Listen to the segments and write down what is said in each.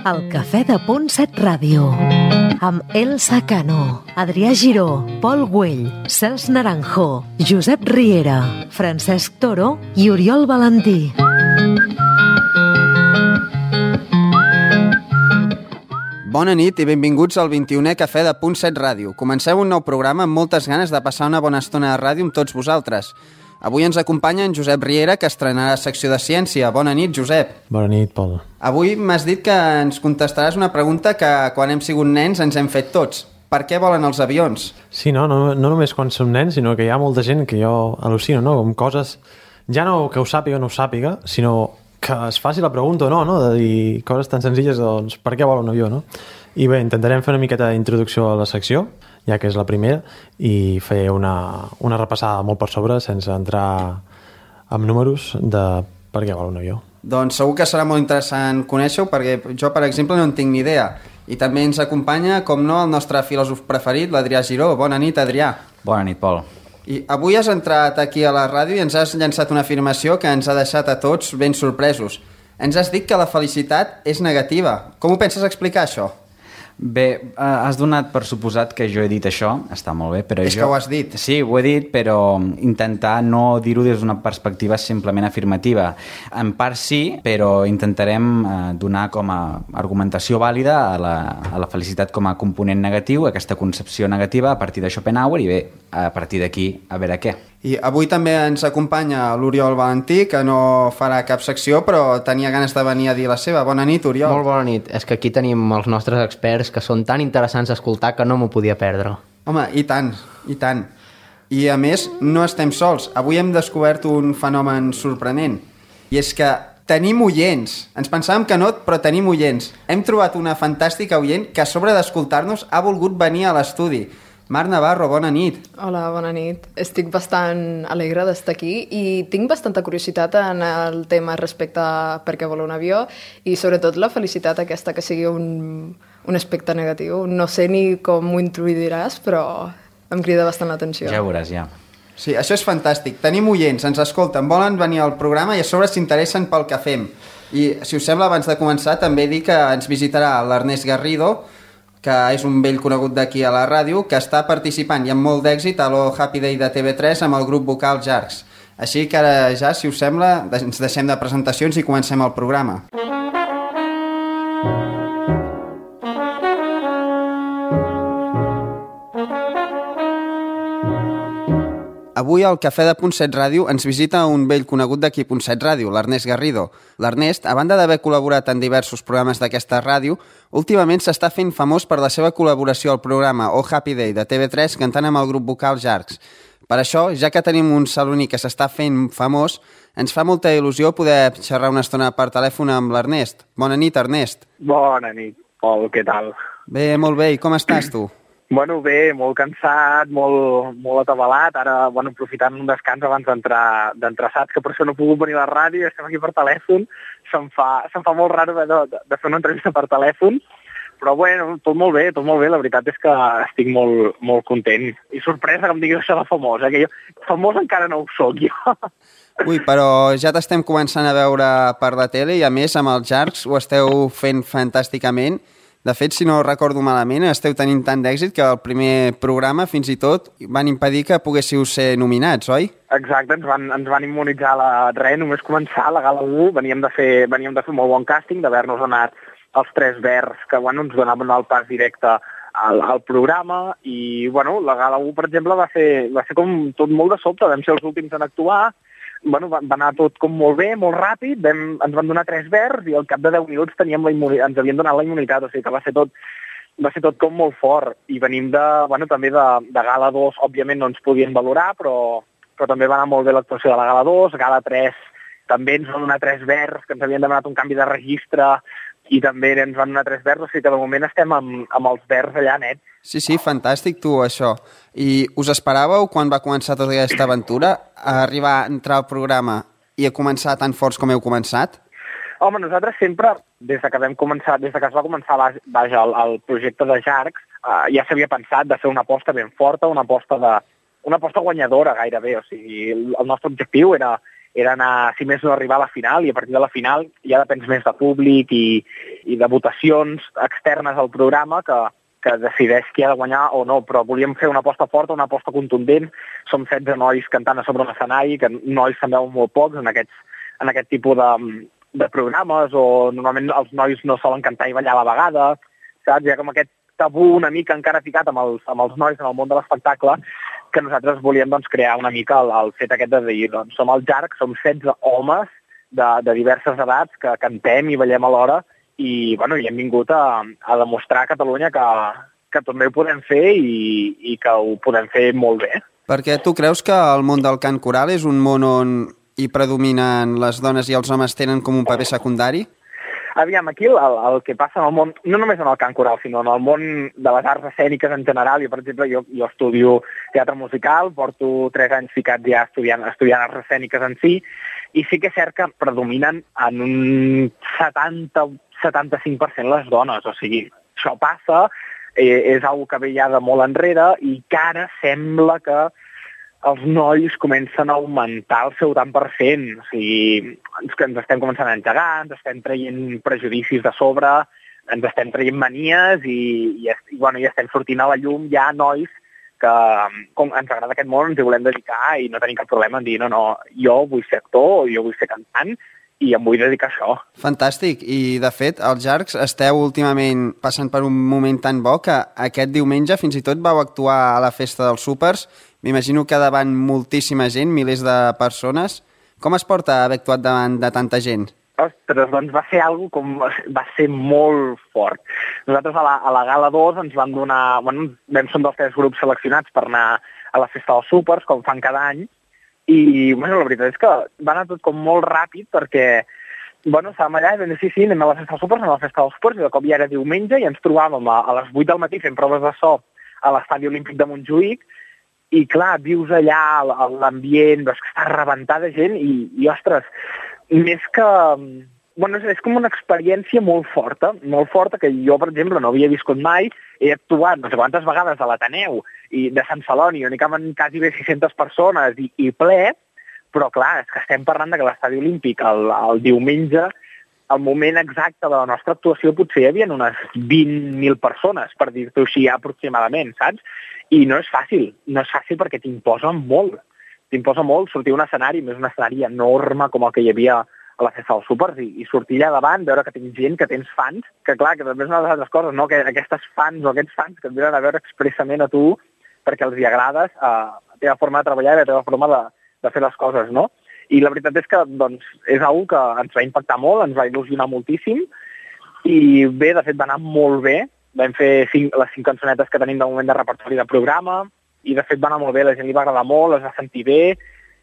El Cafè de Punt 7 Ràdio. Amb Elsa Cano, Adrià Giró, Pol Güell, Cels Naranjo, Josep Riera, Francesc Toro i Oriol Valentí. Bona nit i benvinguts al 21è Cafè de Punt 7 Ràdio. Comenceu un nou programa amb moltes ganes de passar una bona estona de ràdio amb tots vosaltres. Avui ens acompanya en Josep Riera, que estrenarà secció de ciència. Bona nit, Josep. Bona nit, Pol. Avui m'has dit que ens contestaràs una pregunta que quan hem sigut nens ens hem fet tots. Per què volen els avions? Sí, no només quan som nens, sinó que hi ha molta gent que jo al·lucino, no? Com coses, ja no que ho sàpiga o no ho sàpiga, sinó que es faci la pregunta o no, no? De dir coses tan senzilles, doncs, per què vol un avió, no? I bé, intentarem fer una miqueta d'introducció a la secció, ja que és la primera, i fer una repassada molt per sobre, sense entrar en números de per què vol un avió. Doncs segur que serà molt interessant conèixer-ho, perquè jo, per exemple, no en tinc ni idea. I també ens acompanya, com no, el nostre filòsof preferit, l'Adrià Giró. Bona nit, Adrià. Bona nit, Pol. I avui has entrat aquí a la ràdio i ens has llançat una afirmació que ens ha deixat a tots ben sorpresos. Ens has dit que la felicitat és negativa. Com ho penses explicar, això? Bé, has donat per suposat que jo he dit això, està molt bé, però és que ho has dit. Sí, ho he dit, però intentar no dir-ho des d'una perspectiva simplement afirmativa. En part sí, però intentarem donar com a argumentació vàlida a la felicitat com a component negatiu, aquesta concepció negativa a partir de Schopenhauer i bé, a partir d'aquí a veure què. I avui també ens acompanya l'Oriol Valentí, que no farà cap secció, però tenia ganes de venir a dir la seva. Bona nit, Oriol. Molt bona nit. És que aquí tenim els nostres experts, que són tan interessants d'escoltar que no m'ho podia perdre. Home, i tant, i tant. I a més, no estem sols. Avui hem descobert un fenomen sorprenent. I és que tenim oients. Ens pensàvem que no, però tenim oients. Hem trobat una fantàstica oient que a sobre d'escoltar-nos ha volgut venir a l'estudi. Marc Navarro, bona nit. Hola, bona nit. Estic bastant alegre d'estar aquí i tinc bastanta curiositat en el tema respecte a per què vol un avió i sobretot la felicitat aquesta que sigui un aspecte negatiu. No sé ni com ho introduiràs, però em crida bastant l'atenció. Ja ho veuràs, ja. Sí, això és fantàstic. Tenim oients, ens escolten, volen venir al programa i a sobre s'interessen pel que fem. I, si us sembla, abans de començar, també dic que ens visitarà l'Ernest Garrido, que és un vell conegut d'aquí a la ràdio, que està participant i amb molt d'èxit a l'O Happy Day de TV3 amb el grup vocal Jarcs. Així que ara ja, si us sembla, ens deixem de presentacions i comencem el programa. Avui al Cafè de Punt 7 Ràdio ens visita un vell conegut d'aquí Punt 7 Ràdio, l'Ernest Garrido. L'Ernest, a banda d'haver col·laborat en diversos programes d'aquesta ràdio, últimament s'està fent famós per la seva col·laboració al programa Oh Happy Day de TV3 cantant amb el grup vocal Jarcs. Per això, ja que tenim un saloní que s'està fent famós, ens fa molta il·lusió poder xerrar una estona per telèfon amb l'Ernest. Bona nit, Ernest. Bona nit, Pol, què tal? Bé, molt bé. I com estàs, tu? Bueno, bé, molt cansat, molt atabalat. Ara, aprofitant un descans abans d'entrar saps que per això no he pogut venir a la ràdio, estem aquí per telèfon. Se'm fa molt raro de fer una entrevista per telèfon, però bueno, tot molt bé. La veritat és que estic molt content. I sorpresa que em diguis això de famós, que jo famós encara no ho soc, jo. Ui, però ja t'estem començant a veure per la tele i a més amb els Jarcs ho esteu fent fantàsticament. De fet, si no recordo malament, esteu tenint tant d'èxit que el primer programa, fins i tot, van impedir que poguéssiu ser nominats, oi? Exacte, ens van immunitzar només començar la Gala 1, veníem de fer molt bon càsting, d'haver-nos anat els 3 verds que ens donaven el pas directe al programa i la Gala 1, per exemple, va ser com tot molt de sobte, vam ser els últims en actuar. Va anar tot com molt bé, molt ràpid, ens van donar 3 verds i al cap de 10 minuts ens havien donat la immunitat, o sigui que va ser tot com molt fort. I venim també de Gala 2, òbviament no ens podien valorar, però també va anar molt bé l'actuació de la Gala 2, Gala 3 també ens van donar 3 verds, que ens havien demanat un canvi de registre i també ens van donar 3 verds, o sigui que de moment estem amb els verds allà net. Sí, fantàstic tu, això. I us esperàveu, quan va començar tota aquesta aventura, a arribar a entrar al programa i a començar tan forts com heu començat? Home, nosaltres sempre, des que es va començar el projecte de Jarcs, ja s'havia pensat de fer una aposta ben forta, una aposta guanyadora gairebé, o sigui, el nostre objectiu era anar, si més no, arribar a la final, i a partir de la final ja depens més de públic i i de votacions externes al programa que decideix qui ha de guanyar o no, però volíem fer una aposta forta, una aposta contundent. Som 16 nois cantant a sobre un escenari, que nois se'n veuen molt pocs en aquest tipus de programes, o normalment els nois no solen cantar i ballar a la vegada, saps? Hi ha com aquest tabú una mica encara ficat amb els nois en el món de l'espectacle, que nosaltres volíem doncs, crear una mica el fet aquest de dir, doncs, som el JARC, som 16 homes de diverses edats que cantem i ballem alhora, i bueno, hi hem vingut a demostrar a Catalunya que també ho podem fer i que ho podem fer molt bé. Perquè tu creus que el món del cant coral és un món on hi predominen les dones i els homes tenen com un paper secundari? Aviam, aquí el que passa en el món, no només en el cant coral, sinó en el món de les arts escèniques en general. Per exemple, jo estudio teatre musical, porto 3 anys ficats ja estudiant arts escèniques en si, i sí que és cert que predominen en un 70-75% les dones. O sigui, això passa, és una que ve ja de molt enrere i que ara sembla que els nois comencen a augmentar el seu tant per cent. O sigui, ens estem començant a engegar, ens estem traient prejudicis de sobre, ens estem traient manies i estem sortint a la llum ja nois que, com ens agrada aquest món, ens hi volem dedicar i no tenim cap problema en dir no, jo vull ser actor o jo vull ser cantant i em vull dedicar a això. Fantàstic. I, de fet, els JARCs esteu últimament passant per un moment tan bo que aquest diumenge fins i tot vau actuar a la festa dels súpers. M'imagino que davant moltíssima gent, milers de persones. Com es porta haver actuat davant de tanta gent? Ostres, doncs va ser molt fort. Nosaltres a la Gala 2 ens van donar... Bueno, vam ser un dels 3 grups seleccionats per anar a la festa dels súpers, com fan cada any, i bueno, la veritat és que va anar tot com molt ràpid perquè estàvem allà i vam dir sí, anem a la festa dels súpers, anem a la festa dels súpers, i de cop ja era diumenge i ens trobàvem a les 8 del matí fent proves de so a l'estadi olímpic de Montjuïc. I clar, vius allà l'ambient, veus que està rebentat de gent i ostres, més que... Bueno, és com una experiència molt forta que jo, per exemple, no havia viscut mai. He actuat no sé quantes vegades a l'Ateneu de Sant Celoni, on hi caben quasi bé 600 persones i ple, però clar, és que estem parlant que l'estadi olímpic el diumenge, al moment exacte de la nostra actuació, potser hi havia unes 20.000 persones, per dir-t'ho així aproximadament, saps? I no és fàcil perquè t'imposa molt sortir a un escenari, més un escenari enorme com el que hi havia a la festa dels súpers i sortir allà davant, veure que tens gent, que tens fans, que clar, que també és una de les altres coses, no? Que aquestes fans o aquests fans que et venen a veure expressament a tu perquè els hi agrades a la teva forma de treballar i a la teva forma de fer les coses, no? I la veritat és que doncs, és una que ens va impactar molt, ens va il·lusionar moltíssim i bé, de fet va anar molt bé. Vam fer les 5 cançonetes que tenim de moment de repertori de programa i de fet va anar molt bé, la gent li va agradar molt, es va sentir bé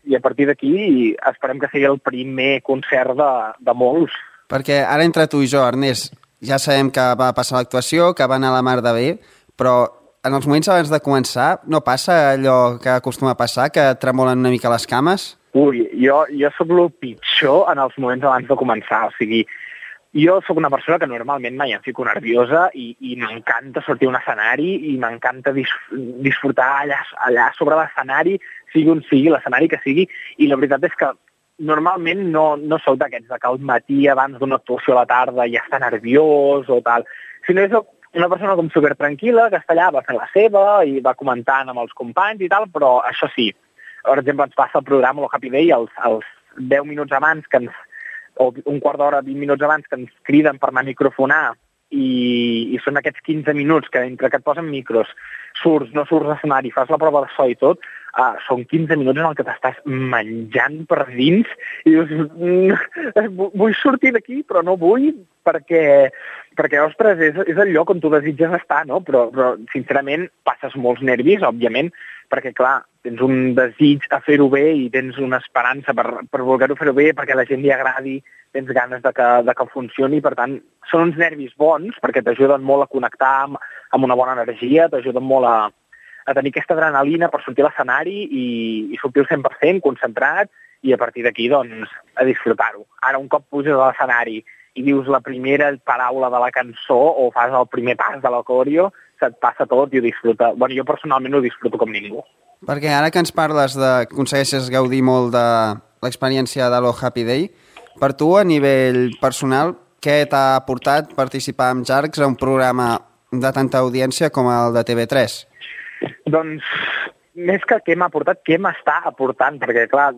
i a partir d'aquí esperem que sigui el primer concert de molts. Perquè ara entre tu i jo, Ernest, ja sabem que va passar l'actuació, que va anar a la mar de bé, però en els moments abans de començar no passa allò que acostuma a passar, que tremolen una mica les cames? Ui, jo sóc el pitjor en els moments abans de començar, o sigui, jo sóc una persona que normalment mai em fico nerviosa i m'encanta sortir a un escenari i m'encanta disfrutar allà sobre l'escenari, sigui on sigui, l'escenari que sigui, i la veritat és que normalment no sóc d'aquests que al matí abans d'una actuació a la tarda ja està nerviós o tal, sinó que sóc una persona com super tranquil·la, que està allà, va fer la seva i va comentant amb els companys i tal, però això sí, per exemple, ens passa el programa, el Happy Day, els 10 minuts abans o un quart d'hora, 20 minuts abans que ens criden per anar a microfonar i són aquests 15 minuts que entre que et posen micros, surts, no surts a l'escenari, fas la prova de so i tot, són 15 minuts en el que t'estàs menjant per dins i dius, vull sortir d'aquí però no vull perquè ostres, és el lloc on tu desitges estar, no? Però sincerament passes molts nervis, òbviament, perquè clar, tens un desig a fer-ho bé i tens una esperança per voler-ho fer-ho bé, perquè a la gent li agradi, tens ganes de que funcioni, per tant, són uns nervis bons perquè t'ajuden molt a connectar amb una bona energia, t'ajuden molt a tenir aquesta adrenalina per sortir a l'escenari i sortir al 100%, concentrat, i a partir d'aquí, doncs, a disfrutar-ho. Ara, un cop puges a l'escenari i dius la primera paraula de la cançó o fas el primer pas de la coreo, se't passa tot i ho disfruta. Bueno, jo personalment ho disfruto com ningú. Perquè ara que ens parles que aconsegueixes gaudir molt de l'experiència de l'O Happy Day, per tu, a nivell personal, què t'ha portat participar amb Jarcs a un programa de tanta audiència com el de TV3? Doncs, més que què m'ha portat, què m'està aportant, perquè, clar,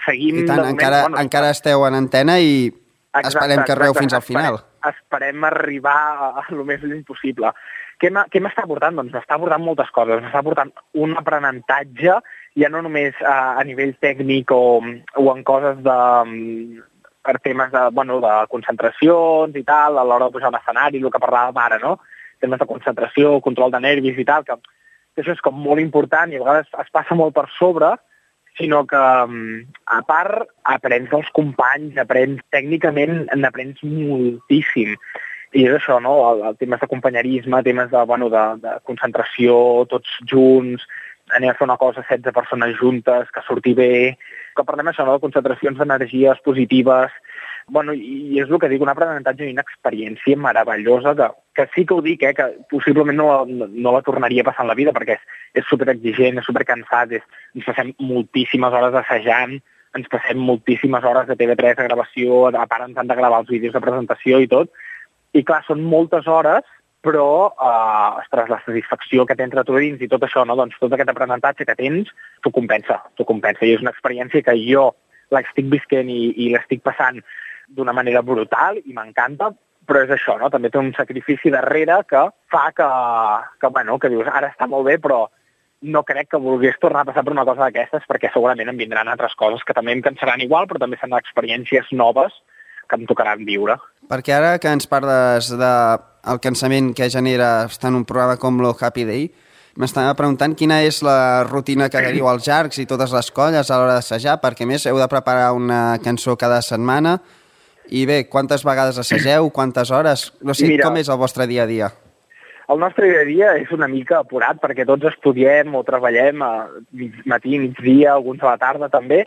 seguim... I tant, de moment, encara esteu en antena i esperem que arribeu fins al final. Esperem arribar a lo més lluny possible. Què m'està aportant? Doncs m'està aportant moltes coses. M'està aportant un aprenentatge, ja no només a nivell tècnic o en coses per temes de concentracions i tal, a l'hora de pujar a l'escenari, el que parlàvem ara, no? Temes de concentració, control de nervis i tal, que això és com molt important i a vegades es passa molt per sobre, sinó que, a part, aprens dels companys, tècnicament n'aprens moltíssim. I és això, no? El temes de companyerisme, temes de concentració, tots junts, anem a fer una cosa 16 persones juntes, que surti bé, que parlem això, no? De concentracions d'energies positives. I és el que dic, un aprenentatge i una experiència meravellosa, que sí que ho dic, que possiblement no la tornaria a passar en la vida, perquè és superexigent, és supercansat, ens passem moltíssimes hores assajant, ens passem moltíssimes hores de TV3 de gravació, a part ens han de gravar els vídeos de presentació i tot, i clar, són moltes hores, però, ostres, la satisfacció que tens de tu dins i tot això, no? Doncs tot aquest aprenentatge que tens, t'ho compensa, i és una experiència que jo l'estic visquent i l'estic passant d'una manera brutal i m'encanta, però és això, no? També té un sacrifici darrere que fa que dius, ara està molt bé, però no crec que volgués tornar a passar per una cosa d'aquestes, perquè segurament em vindran altres coses que també em cansaran igual, però també seran experiències noves que em tocaran viure. Perquè ara que ens parles del cansament que genera estar en un programa com lo Happy Day, m'estava preguntant quina és la rutina que teniu als Jarcs i totes les colles a l'hora d'assajar, perquè a més heu de preparar una cançó cada setmana. I bé, quantes vegades assageu, quantes hores? No sé, mira, com és el vostre dia a dia? El nostre dia a dia és una mica apurat, perquè tots estudiem o treballem a matí, migdia, alguns a la tarda també,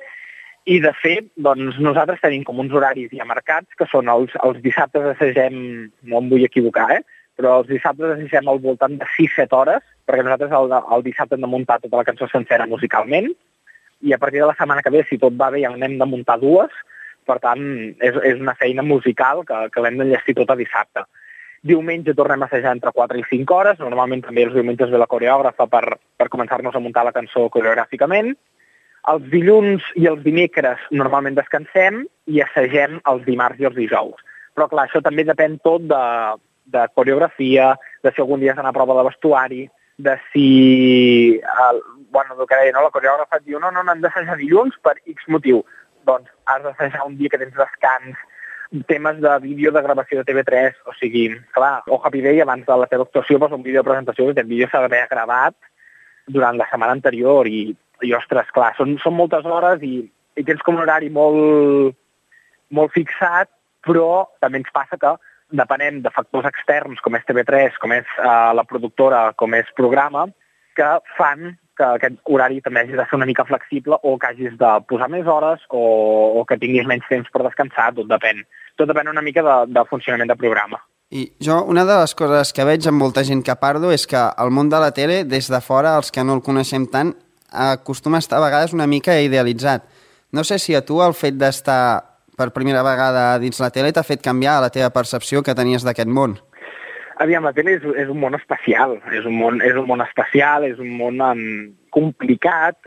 i de fet, doncs nosaltres tenim com uns horaris ja marcats, que són els dissabtes assagem, no em vull equivocar, però els dissabtes assagem al voltant de 6-7 hores, perquè nosaltres el dissabte hem de muntar tota la cançó sencera musicalment, i a partir de la setmana que ve, si tot va bé, ja n'hem de muntar 2, per tant, és una feina musical que l'hem d'enllestir tota dissabte. Diumenge tornem a assajar entre 4 i 5 hores, normalment també els diumenges ve la coreògrafa per començar-nos a muntar la cançó coreogràficament. Els dilluns i els dimecres normalment descansem i assagem els dimarts i els dijous. Però clar, això també depèn tot de coreografia, de si algun dia s'ha a prova de vestuari, de si... el que deia, no? La coreògrafa et diu no, hem d'assajar dilluns per X motiu. Doncs has d'assajar un dia que tens descans, temes de vídeo de gravació de TV3, o sigui, clar, o Happy Day abans de la teva actuació posa un vídeo de presentació que aquest vídeo s'ha d'haver gravat durant la setmana anterior i ostres, clar, són moltes hores i tens com un horari molt, molt fixat, però també ens passa que depenem de factors externs com és TV3, com és la productora, com és programa, que fan que aquest horari també hagi de ser una mica flexible o que hagis de posar més hores o que tinguis menys temps per descansar, tot depèn. Tot depèn una mica del funcionament del programa. I jo, una de les coses que veig amb molta gent que parlo és que el món de la tele, des de fora, els que no el coneixem tant, acostuma a estar a vegades una mica idealitzat. No sé si a tu el fet d'estar per primera vegada dins la tele t'ha fet canviar la teva percepció que tenies d'aquest món. Aviam, la tele és un món especial, és un món complicat,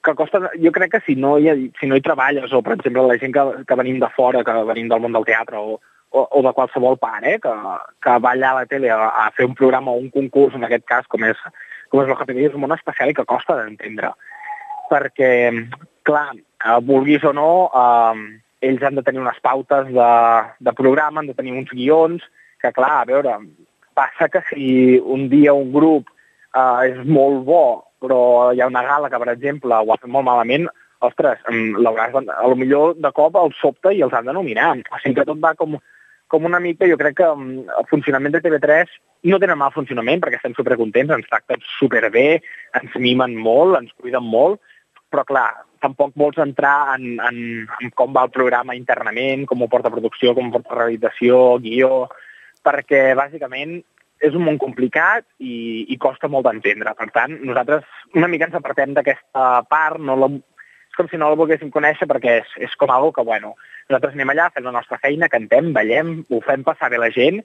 que costa, jo crec que si no hi treballes, o per exemple la gent que venim de fora, que venim del món del teatre, o de qualsevol part, que va allà a la tele a fer un programa o un concurs, en aquest cas, com és el Happy Day, és un món especial i que costa d'entendre. Perquè, clar, vulguis o no, ells han de tenir unes pautes de programa, han de tenir uns guions, que clar, a veure, passa que si un dia un grup és molt bo, però hi ha una gala que, per exemple, ho ha fet molt malament, ostres, potser de cop el sobte i els han de nominar. O sigui que tot va com una mica, jo crec que el funcionament de TV3 no tenen mal funcionament perquè estem supercontents, ens tracten superbé, ens mimen molt, ens cuiden molt, però clar, tampoc vols entrar en com va el programa internament, com ho porta producció, com ho porta realització, guió, perquè bàsicament és un món complicat i costa molt d'entendre. Per tant, nosaltres una mica ens apartem d'aquesta part, com si no el volguéssim conèixer perquè és com algo que, bueno, nosaltres anem allà, fem la nostra feina, cantem, ballem, ho fem passar bé la gent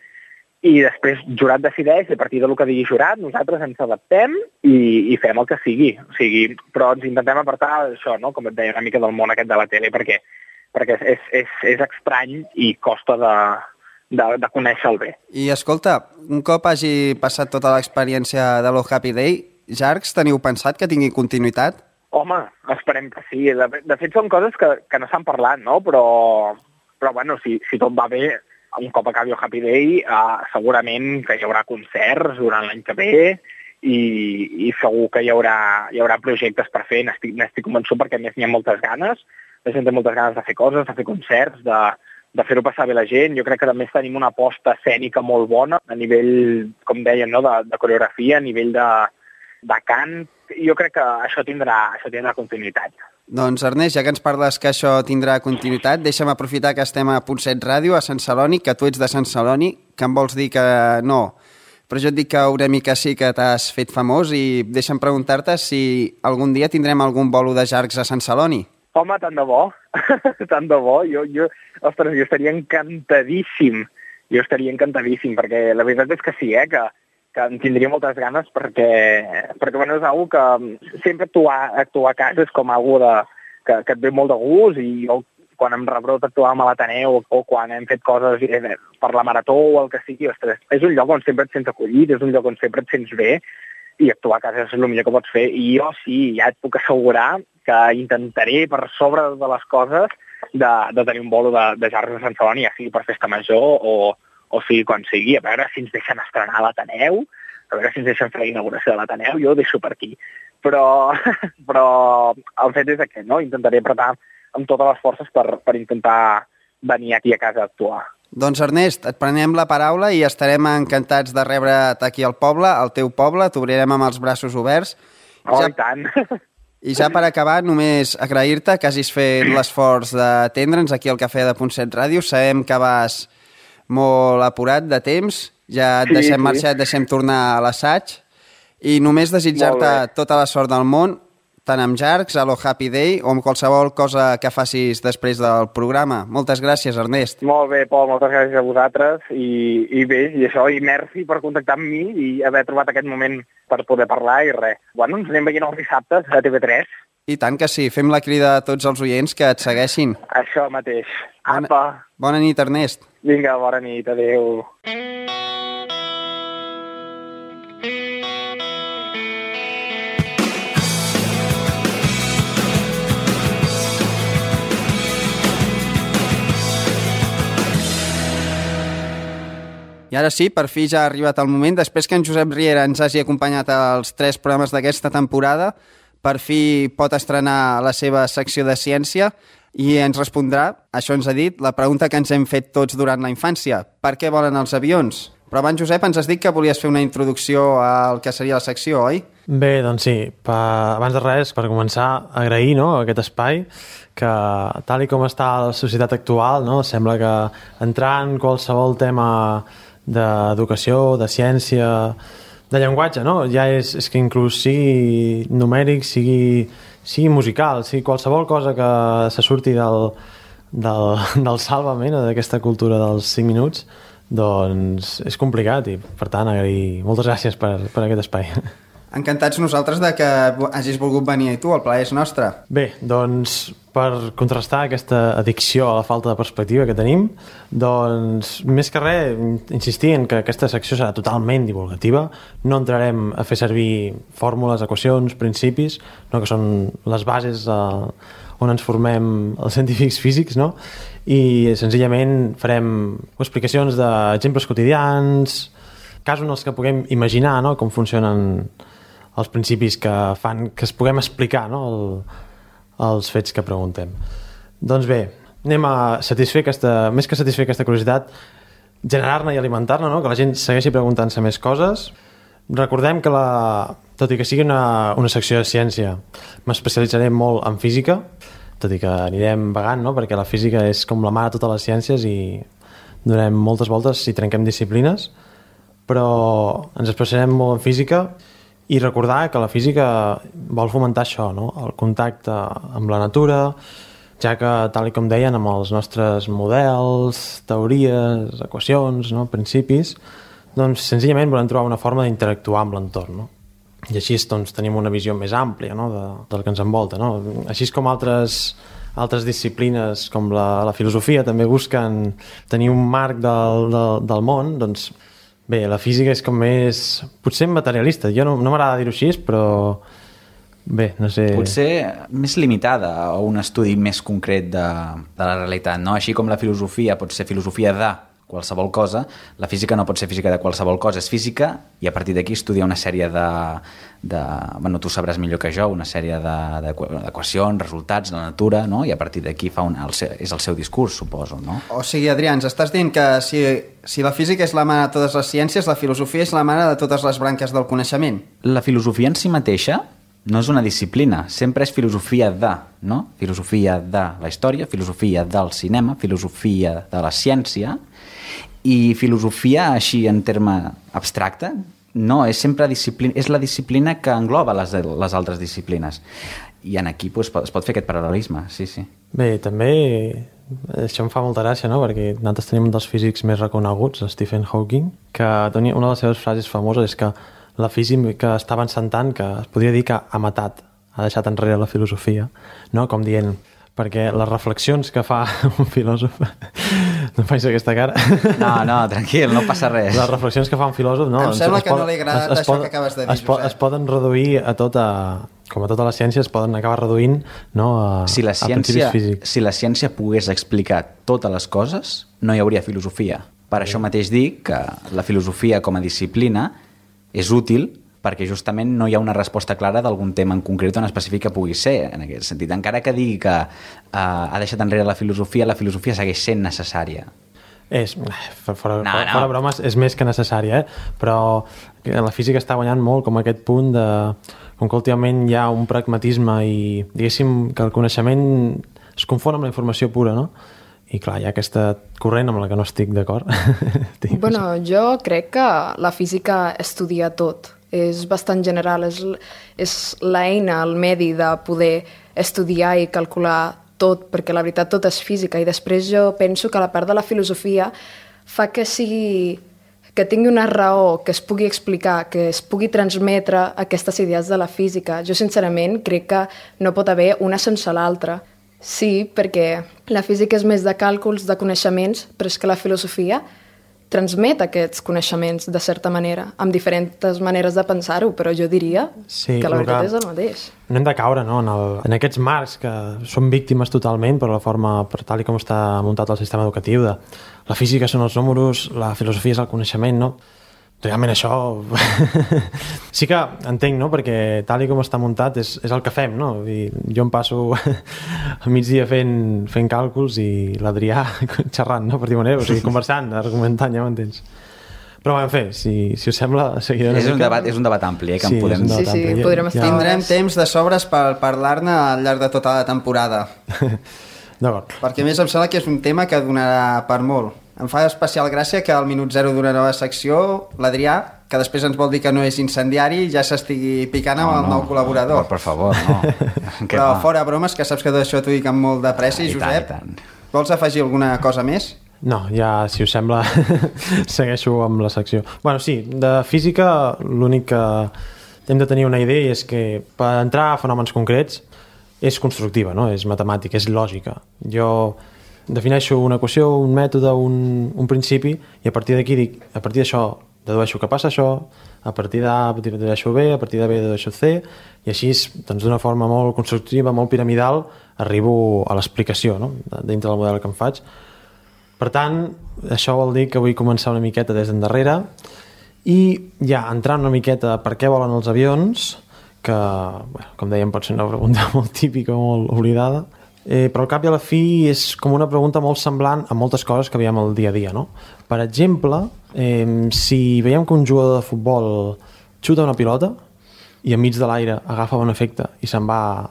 i després jurat decideix i a partir del que digui jurat nosaltres ens adaptem i fem el que sigui. O sigui, però ens intentem apartar això, no? Com et deia, una mica del món aquest de la tele perquè és estrany i costa de conèixer-lo bé. I escolta, un cop hagi passat tota l'experiència de l'O Happy Day, Jarcs, teniu pensat que tingui continuïtat? Home, esperem que sí. De fet, són coses que no s'han parlat, no? Però bueno, si tot va bé, un cop acabi el Happy Day, segurament que hi haurà concerts durant l'any que ve i segur que hi haurà projectes per fer. N'estic convençut perquè a més n'hi ha moltes ganes. La gent té moltes ganes de fer coses, de fer concerts, de fer-ho passar bé la gent. Jo crec que també tenim una aposta escènica molt bona a nivell, com deien, no? de coreografia, a nivell de cant. Jo crec que això tindrà continuïtat. Doncs, Ernest, ja que ens parles que això tindrà continuïtat, deixa'm aprofitar que estem a Punt7 Ràdio, a Sant Celoni, que tu ets de Sant Celoni, que em vols dir que no. Però jo et dic que una mica sí que t'has fet famós i deixa'm preguntar-te si algun dia tindrem algun bolo de Jarcs a Sant Celoni. Home, tant de bo. Tant de bo. Ostres, jo estaria encantadíssim. Perquè la veritat és que sí, que en tindria moltes ganes perquè bueno, és una que sempre actuar a casa és com una que et ve molt de gust i jo, quan em rebrot actuàvem a l'Ateneu o quan hem fet coses per la marató o el que sigui, ostres, és un lloc on sempre et sents acollit, és un lloc on sempre et sents bé i actuar a casa és el millor que pots fer i jo sí, ja et puc assegurar que intentaré per sobre de les coses de tenir un bolo de Jarcs a Sant Celoni, ja sigui per festa major o sigui quan sigui, a veure si ens deixen estrenar a l'Ateneu, a veure si ens deixen fer la inauguració de l'Ateneu, jo ho deixo per aquí. Però el fet és aquest, no? Intentaré apretar amb totes les forces per intentar venir aquí a casa a actuar. Doncs Ernest, et prenem la paraula i estarem encantats de rebre't aquí al poble, al teu poble, t'obrirem amb els braços oberts. Oh, i tant! I ja per acabar, només agrair-te que hagis fet l'esforç d'atendre'ns aquí al Cafè de Punt7 Ràdio. Sabem que vas molt apurat de temps, ja et deixem marxar, et deixem tornar a l'assaig i només desitjar-te tota la sort del món, tant amb Jarcs, a l'O Happy Day o amb qualsevol cosa que facis després del programa. Moltes gràcies, Ernest. Molt bé, Pol, moltes gràcies a vosaltres i bé, i això, i merci per contactar amb mi i haver trobat aquest moment per poder parlar i res. Bueno, ens anem veient els dissabtes a TV3. I tant que sí, fem la crida a tots els oients que et segueixin. Això mateix. Apa! Bona nit, Ernest. Vinga, bona nit, adéu. I ara sí, per fi ja ha arribat el moment, després que en Josep Riera ens hagi acompanyat als 3 programes d'aquesta temporada, per fi pot estrenar la seva secció de ciència i ens respondrà, això ens ha dit, la pregunta que ens hem fet tots durant la infància. Per què volen els avions? Però abans, Josep, ens has dit que volies fer una introducció al que seria la secció, oi? Bé, doncs sí. Abans de res, per començar, agrair aquest espai que, tal com està la societat actual, sembla que entrar en qualsevol tema d'educació, de ciència, de llenguatge, ja és que inclús sigui numèric, sigui musical, sigui qualsevol cosa que se surti del Sálvame, d'aquesta cultura dels 5 minuts, doncs és complicat i, per tant, agrair. Moltes gràcies per aquest espai. Encantats nosaltres de que hagis volgut venir tu, el plaer és nostre. Bé, doncs, per contrastar aquesta addicció a la falta de perspectiva que tenim, doncs, més que res, insistir en que aquesta secció serà totalment divulgativa, no entrarem a fer servir fórmules, equacions, principis, que són les bases on ens formem els científics físics, i senzillament farem explicacions d'exemples quotidians, casos en els que puguem imaginar com funcionen els principis que fan que es puguem explicar els fets que preguntem. Doncs bé, anem a satisfer més que satisfer aquesta curiositat, generar-ne i alimentar-ne, que la gent segueixi preguntant-se més coses. Recordem que, tot i que sigui una secció de ciència, m'especialitzaré molt en física, tot i que anirem vagant, perquè la física és com la mare de totes les ciències i donem moltes voltes si trenquem disciplines, però ens especialitzarem molt en física I recordar que la física vol fomentar això, no? El contacte amb la natura, ja que, tal com deien, amb els nostres models, teories, equacions, no? Principis, doncs senzillament volem trobar una forma d'interactuar amb l'entorn, no? I així doncs, tenim una visió més àmplia, no? Del que ens envolta, no? Així com altres disciplines com la filosofia també busquen tenir un marc del món, doncs bé, la física és com més... potser materialista, jo no m'agrada dir-ho així, però bé, no sé... Potser més limitada a un estudi més concret de la realitat, no? Així com la filosofia pot ser filosofia de qualsevol cosa, la física no pot ser física de qualsevol cosa, és física i a partir d'aquí estudia una sèrie bueno, tu sabràs millor que jo, una sèrie d'equacions, resultats, la natura, no? I a partir d'aquí és el seu discurs, suposo, no? O sigui, Adrià, ens estàs dient que si la física és la mare de totes les ciències, la filosofia és la mare de totes les branques del coneixement. La filosofia en si mateixa no és una disciplina, sempre és filosofia de, no? Filosofia de la història, filosofia del cinema, filosofia de la ciència, i filosofia així en terme abstracte no, és sempre disciplina, és la disciplina que engloba les altres disciplines i en aquí es pot fer aquest paral·lelisme, sí. Bé, també això em fa molta gràcia, no? Perquè nosaltres tenim un dels físics més reconeguts, Stephen Hawking, que tenia una de les seves frases famoses és que la física està avançant tant que es podria dir que ha deixat enrere la filosofia, no? Com dient, perquè les reflexions que fa un filòsof... No faig aquesta cara. No, tranquil, no passa res. Les reflexions que fa un filòsof... No, em sembla que no li agrada això que acabes de dir, Josep. Es poden reduir a tota... Com a tota la ciència, es poden acabar reduint, no, a principis físics. Si la ciència pogués explicar totes les coses, no hi hauria filosofia. Per això mateix dic que la filosofia com a disciplina és útil perquè justament no hi ha una resposta clara d'algun tema en concret o en específic que pugui ser, en aquest sentit. Encara que digui que ha deixat enrere la filosofia segueix sent necessària. Fora bromes, és més que necessària, però la física està guanyant molt com aquest punt de... Com que últimament hi ha un pragmatisme i, diguéssim, que el coneixement es confon amb la informació pura, no? I clar, hi ha aquesta corrent amb la que no estic d'acord. Bueno, jo crec que la física estudia tot. És bastant general, és l'eina, el medi de poder estudiar i calcular tot, perquè la veritat tot és física, i després jo penso que la part de la filosofia fa que tingui una raó, que es pugui explicar, que es pugui transmetre aquestes idees de la física. Jo sincerament crec que no pot haver una sense l'altra. Sí, perquè la física és més de càlculs, de coneixements, però és que la filosofia transmet aquests coneixements de certa manera, amb diferents maneres de pensar-ho, però jo diria que la veritat és el mateix. No hem de caure, no, en aquests marcs que són víctimes totalment per la forma, per tal com està muntat el sistema educatiu, de la física són els números, la filosofia és el coneixement, no? Realment això sí que entenc, no? Perquè tal com està muntat és el que fem, no? I jo em passo al migdia fent càlculs i l'Adrià xerrant, no? Per dir manera, o sigui, conversant, argumentant, ja m'entens. Però en fi, si us sembla, seguirem és un debat ampli, que en podem... Sí, podrem estar... Tindrem temps de sobres per parlar-ne al llarg de tota la temporada. D'acord. Perquè a més em sembla que és un tema que donarà per molt. Em fa especial gràcia que al minut 0 d'una nova secció, l'Adrià, que després ens vol dir que no és incendiari, ja s'estigui picant amb el nou col·laborador. Per favor, no. Però fora bromes, que saps que tot això t'ho dic amb molt de pressa. I Josep, vols afegir alguna cosa més? No, ja, si us sembla, segueixo amb la secció. Bueno, sí, de física l'únic que hem de tenir una idea és que per entrar a fenòmens concrets és constructiva, no? És matemàtica, és lògica. Jo defineixo una equació, un mètode, un principi, i a partir d'aquí dic, a partir d'això dedueixo que passa això, a partir d'A dedueixo B, a partir de B dedueixo C, i així, doncs, d'una forma molt constructiva, molt piramidal, arribo a l'explicació, no? Dintre del model que em faig. Per tant, això vol dir que vull començar una miqueta des d'endarrere i ja entrant una miqueta per què volen els avions, que, bueno, com dèiem, pot ser una pregunta molt típica, molt oblidada, però al cap i a la fi és com una pregunta molt semblant a moltes coses que veiem al dia a dia, no? Per exemple, si veiem que un jugador de futbol xuta una pilota i enmig de l'aire agafa un efecte i se'n va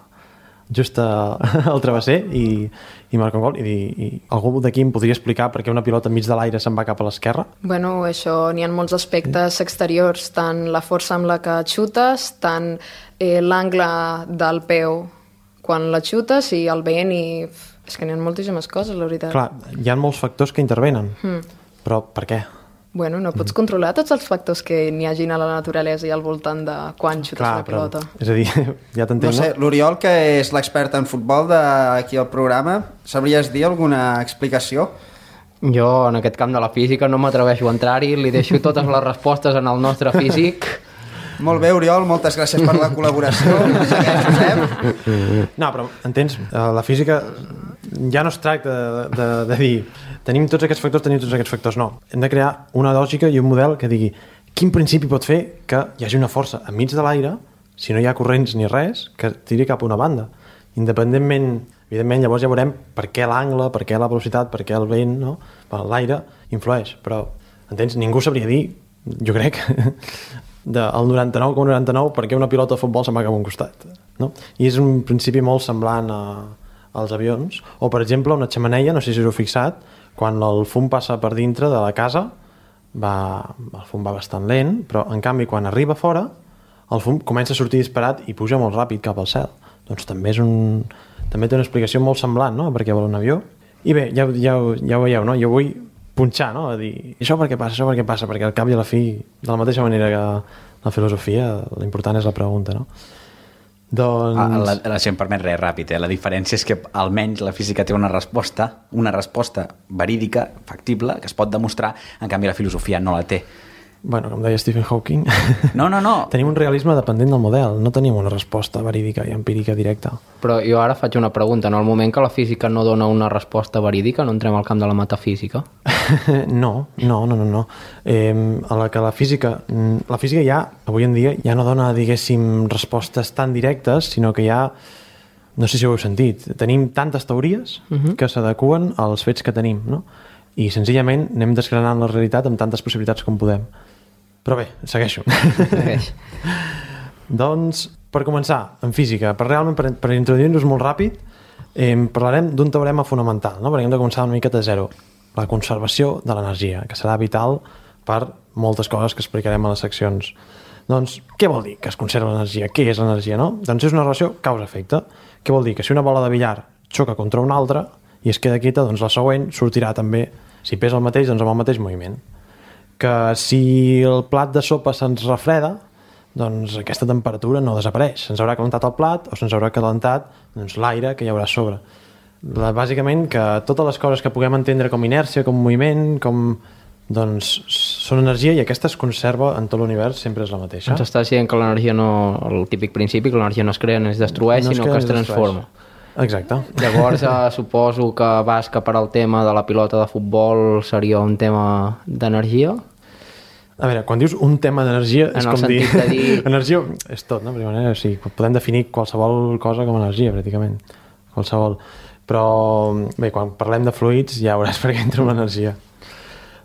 just al travesser i marca un gol. I algú d'aquí em podria explicar per què una pilota enmig de l'aire se'n va cap a l'esquerra? Bueno, això, n'hi ha molts aspectes exteriors, tant la força amb la que xutes, tant l'angle del peu quan la xutes i el vent i... És que n'hi ha moltíssimes coses, la veritat. Clar, hi ha molts factors que intervenen, però per què? Bueno, no pots controlar tots els factors que n'hi hagin a la naturalesa i al voltant de quan xutes la pilota. És a dir, ja t'entenc. No sé, l'Oriol, que és l'expert en futbol d'aquí al programa, sabries dir alguna explicació? Jo, en aquest camp de la física, no m'atreveixo a entrar-hi, li deixo totes les respostes en el nostre físic. Molt bé, Oriol, moltes gràcies per la col·laboració. Segueix, Josep. No, però entens, la física ja no es tracta de dir tenim tots aquests factors, no. Hem de crear una lògica i un model que digui quin principi pot fer que hi hagi una força enmig de l'aire, si no hi ha corrents ni res, que tiri cap a una banda. Independentment, evidentment, llavors ja veurem per què l'angle, per què la velocitat, per què el vent, no? L'aire influeix, però, entens, ningú sabria dir, jo crec, del 99,99 per què una pilota de futbol se'n va cap a un costat, no? I és un principi molt semblant als avions, o per exemple una xemeneia, no sé si us heu fixat, quan el fum passa per dintre de la casa el fum va bastant lent, però en canvi quan arriba fora el fum comença a sortir disparat i puja molt ràpid cap al cel. Doncs també té una explicació molt semblant, no?, perquè vol un avió. I bé, ja ho veieu, no? Jo vull punxar, no?, a dir això per què passa, perquè al cap i a la fi, de la mateixa manera que la filosofia, l'important és la pregunta, no? Doncs... Si em permet res ràpid, la diferència és que almenys la física té una resposta verídica, factible, que es pot demostrar, en canvi la filosofia no la té. Bueno, com deia Stephen Hawking, no. Tenim un realisme dependent del model, no tenim una resposta verídica i empírica directa. Però jo ara faig una pregunta, en el moment que la física no dona una resposta verídica, no entrem al camp de la metafísica? No. A la que la física ja, avui en dia, ja no dona, diguéssim, respostes tan directes, sinó que ja, no sé si ho heu sentit, tenim tantes teories que s'adeqüen als fets que tenim, no? I senzillament anem desgranant la realitat amb tantes possibilitats com podem. Però bé, segueixo. Doncs, per començar, en física, per introduir-nos molt ràpid, parlarem d'un teorema fonamental, no? Perquè hem de començar una miqueta de zero. La conservació de l'energia, que serà vital per moltes coses que explicarem a les seccions. Doncs, què vol dir que es conserva l'energia? Què és l'energia, no? Doncs és una relació causa-efecte. Què vol dir? Que si una bola de billar xoca contra una altra i es queda quieta, doncs la següent sortirà també, si pesa el mateix, doncs amb el mateix moviment. Que si el plat de sopa se'ns refreda, doncs aquesta temperatura no desapareix. Se'ns haurà calentat el plat o se'ns haurà calentat l'aire que hi haurà a sobre. Bàsicament que totes les coses que puguem entendre com inèrcia, com moviment, doncs són energia i aquesta es conserva en tot l'univers, sempre és la mateixa. Ens estàs dient que l'energia no, el típic principi, que l'energia no es crea, no es destrueix, sinó que es transforma. Exacte. Llavors suposo que vas cap al tema de la pilota de futbol seria un tema d'energia? A veure, quan dius un tema d'energia és com dir... Energia és tot, no? O sigui, podem definir qualsevol cosa com a energia, pràcticament. Qualsevol. Però bé, quan parlem de fluids ja veuràs per què entra l'energia.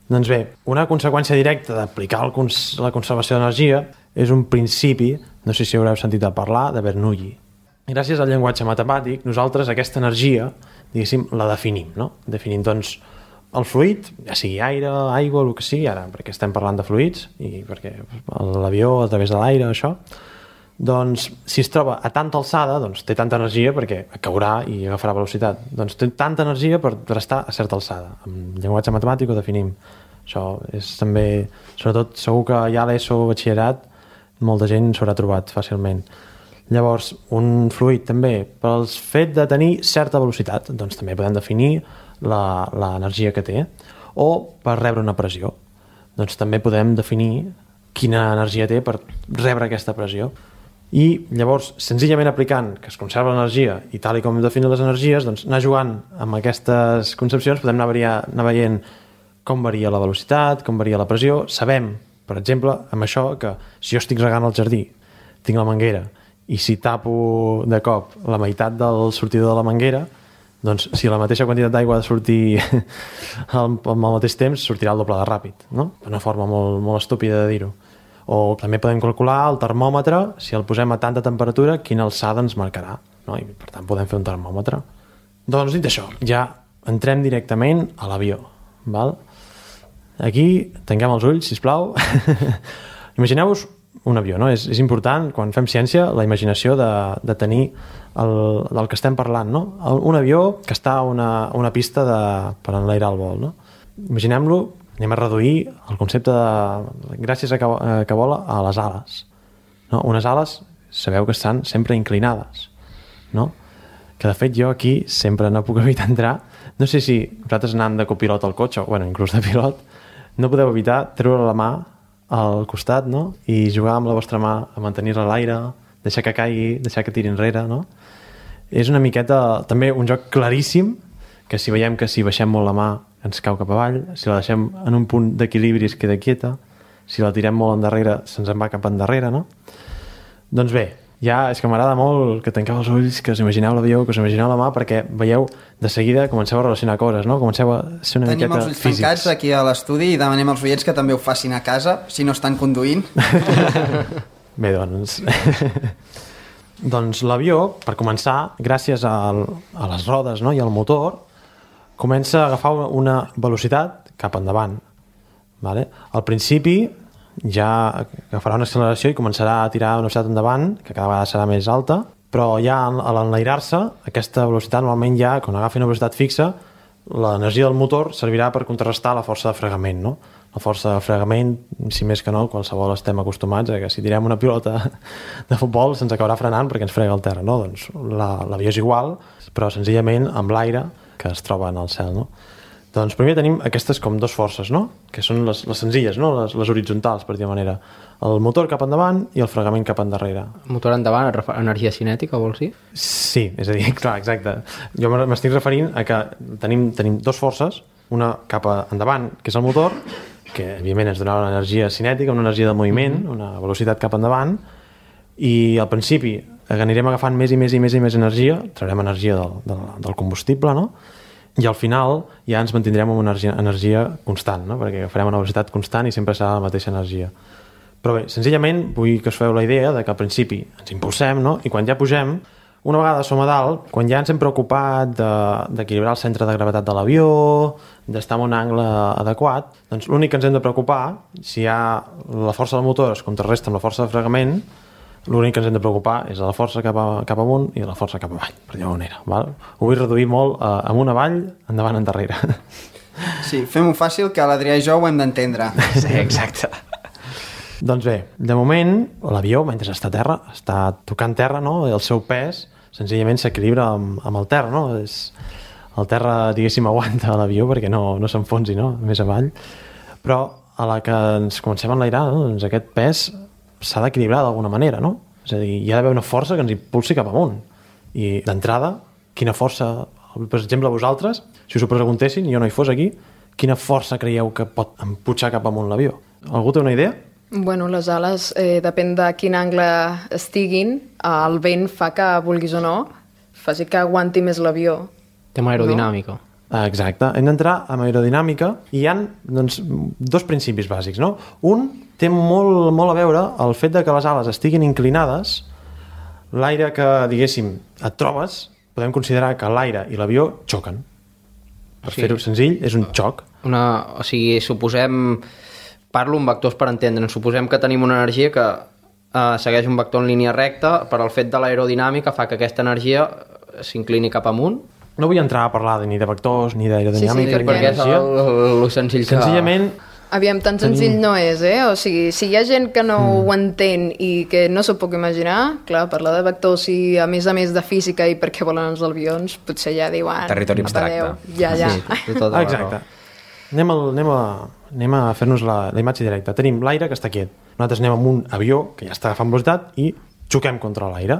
Doncs bé, una conseqüència directa d'aplicar la conservació d'energia és un principi, no sé si haureu sentit a parlar, de Bernoulli. Gràcies al llenguatge matemàtic, nosaltres aquesta energia, diguéssim, la definim, no? Definim, doncs, el fluid, ja sigui aire, aigua, el que sigui, ara, perquè estem parlant de fluids, i perquè l'avió a través de l'aire, això, doncs, si es troba a tanta alçada, doncs té tanta energia perquè caurà i agafarà velocitat. Doncs té tanta energia per estar a certa alçada. Amb llenguatge matemàtic ho definim. Això és també, sobretot, segur que ja a l'ESO o batxillerat molta gent s'haurà trobat fàcilment. Llavors, un fluid també, pel fet de tenir certa velocitat, doncs també podem definir l'energia que té, o per rebre una pressió. Doncs també podem definir quina energia té per rebre aquesta pressió. I llavors, senzillament aplicant que es conserva l'energia i tal i com definir les energies, doncs anar jugant amb aquestes concepcions podem anar veient com varia la velocitat, com varia la pressió. Sabem, per exemple, amb això, que si jo estic regant el jardí, tinc la manguera, i si tapo de cop la meitat del sortidor de la manguera, doncs si la mateixa quantitat d'aigua ha de sortir al mateix temps, sortirà el doble de ràpid, no? Una forma molt estúpida de dir-ho. O també podem calcular el termòmetre, si el posem a tanta temperatura, quina alçada ens marcarà. no? I per tant podem fer un termòmetre. Doncs dit això, ja entrem directament a l'avió, val? Aquí tanquem els ulls, sisplau. Imagineu-vos un avió, no? És important, quan fem ciència, la imaginació de tenir del que estem parlant, no? Un avió que està a una pista per enlairar el vol, no? Imaginem-lo, anem a reduir el concepte de gràcies a que vola a les ales, no? Unes ales, sabeu que estan sempre inclinades, no? Que de fet jo aquí sempre no puc evitar entrar, no sé si vosaltres anant de copilot al cotxe, o bueno, inclús de pilot, no podeu evitar treure la mà al costat, no? I jugar amb la vostra mà a mantenir-la a l'aire, deixar que caigui, deixar que tiri enrere, no? És una miqueta, també un joc claríssim, que si veiem que si baixem molt la mà ens cau cap avall, si la deixem en un punt d'equilibri es queda quieta, si la tirem molt endarrere se'ns en va cap endarrere, no? Doncs bé, ja és que m'agrada molt que tanqueu els ulls, que us imagineu l'avió, que us imagineu la mà, perquè veieu, de seguida comenceu a relacionar coses, no? Comenceu a ser una miqueta físics. Tenim els ulls tancats aquí a l'estudi i demanem als oients que també ho facin a casa, si no estan conduint. Bé, doncs... doncs l'avió, per començar, gràcies a les rodes, no? I al motor, comença a agafar una velocitat cap endavant. Vale? Al principi ja agafarà una acceleració i començarà a tirar una velocitat endavant, que cada vegada serà més alta, però ja a l'enlairar-se, aquesta velocitat normalment ja, quan agafi una velocitat fixa, l'energia del motor servirà per contrarrestar la força de fregament, no? La força de fregament, si més que no, qualsevol estem acostumats a que si tirem una pilota de futbol se'ns acabarà frenant perquè ens frega el terra, no? Doncs l'avió és igual, però senzillament amb l'aire que es troba en el cel, no? Doncs primer tenim aquestes com dues forces, no? Que són les senzilles, no? Les horitzontals, per dir manera. El motor cap endavant i el fregament cap endarrere. Motor endavant, energia cinètica, vols dir? Sí, és a dir, clar, exacte. Jo m'estic referint a que tenim dues forces, una cap endavant, que és el motor, que evidentment ens donarà una energia cinètica, una energia de moviment, una velocitat cap endavant, i al principi anirem agafant més i més i més i més energia, traurem energia del combustible, no? I al final ja ens mantindrem amb una energia constant, no? Perquè agafarem una velocitat constant i sempre serà la mateixa energia. Però bé, senzillament vull que us feu la idea de que al principi ens impulsem, no? I quan ja pugem, una vegada som a dalt, quan ja ens hem preocupat d'equilibrar el centre de gravetat de l'avió, d'estar en un angle adequat, doncs l'únic que ens hem de preocupar, si ja la força del motor es contrarresta amb la força de fregament, l'únic que ens hem de preocupar és la força cap amunt i la força cap avall, per dir-ho manera. Val? Ho vull reduir molt amunt, avall, endavant, endarrere. Sí, fem-ho fàcil, que l'Adrià i jo ho hem d'entendre. Sí, exacte. Doncs bé, de moment, l'avió, mentre està a terra, està tocant terra, no? I el seu pes senzillament s'equilibra amb el terra, no? El terra, diguéssim, aguanta l'avió perquè no s'enfonsi, no? Més avall. Però a la que ens comencem a enlairar, no? Doncs aquest pes s'ha d'equilibrar d'alguna manera, no? És a dir, hi ha d'haver una força que ens impulsi cap amunt. I d'entrada, quina força, per exemple, vosaltres, si us ho preguntessin i jo no hi fos aquí, quina força creieu que pot empujar cap amunt l'avió? Algú té una idea? Bueno, les ales, depèn de quin angle estiguin, el vent fa que, vulguis o no, faci que aguanti més l'avió. Tema aerodinàmica. No? Exacte. Hem d'entrar amb aerodinàmica i hi ha doncs, dos principis bàsics, no? Un té molt a veure el fet de que les ales estiguin inclinades, l'aire que, diguéssim, et trobes, podem considerar que l'aire i l'avió xoquen. Per fer-ho senzill, és un xoc. O sigui, suposem... Parlo en vectors per entendre'n. Suposem que tenim una energia que segueix un vector en línia recta, però el fet de l'aerodinàmica fa que aquesta energia s'inclini cap amunt. No vull entrar a parlar ni de vectors ni d'aerodinàmica ni perquè d'energia. És el senzill que... Senzillament... Aviam, tan senzill no és, O sigui, si hi ha gent que no ho entén i que no s'ho puc imaginar, clar, parlar de vectors i a més de física i per què volen els avions, potser ja diuen... Territori abstracte. Ja. Sí, exacte. Anem a fer-nos la imatge directa. Tenim l'aire que està quiet. Nosaltres anem amb un avió que ja està agafant velocitat i xoquem contra l'aire.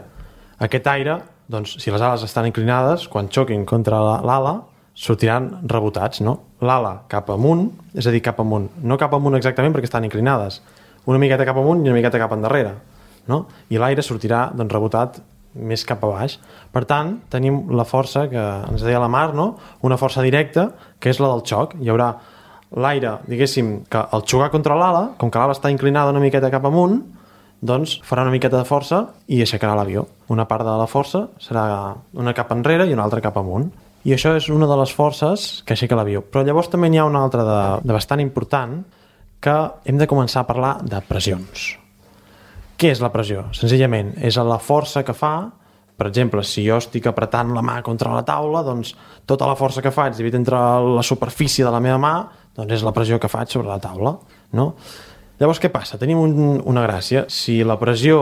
Aquest aire, doncs, si les ales estan inclinades, quan xoquin contra l'ala, sortiran rebotats, no? L'ala cap amunt, és a dir, cap amunt. No cap amunt exactament perquè estan inclinades. Una miqueta cap amunt i una miqueta cap endarrere, no? I l'aire sortirà, doncs, rebotat més cap a baix. Per tant, tenim la força que ens deia la Mar, no? Una força directa, que és la del xoc. Hi haurà l'aire, diguéssim, que al xocar contra l'ala, com que l'ala està inclinada una miqueta cap amunt, doncs farà una miqueta de força i aixecarà l'avió. Una part de la força serà una cap enrere i una altra cap amunt. I això és una de les forces que aixeca l'avió. Però llavors també n'hi ha una altra de bastant important, que hem de començar a parlar de pressions. Què és la pressió? Senzillament, és la força que fa, per exemple, si jo estic apretant la mà contra la taula, doncs tota la força que faig dividit entre la superfície de la meva mà, doncs és la pressió que faig sobre la taula, no? Llavors, què passa? Tenim una gràcia. Si la pressió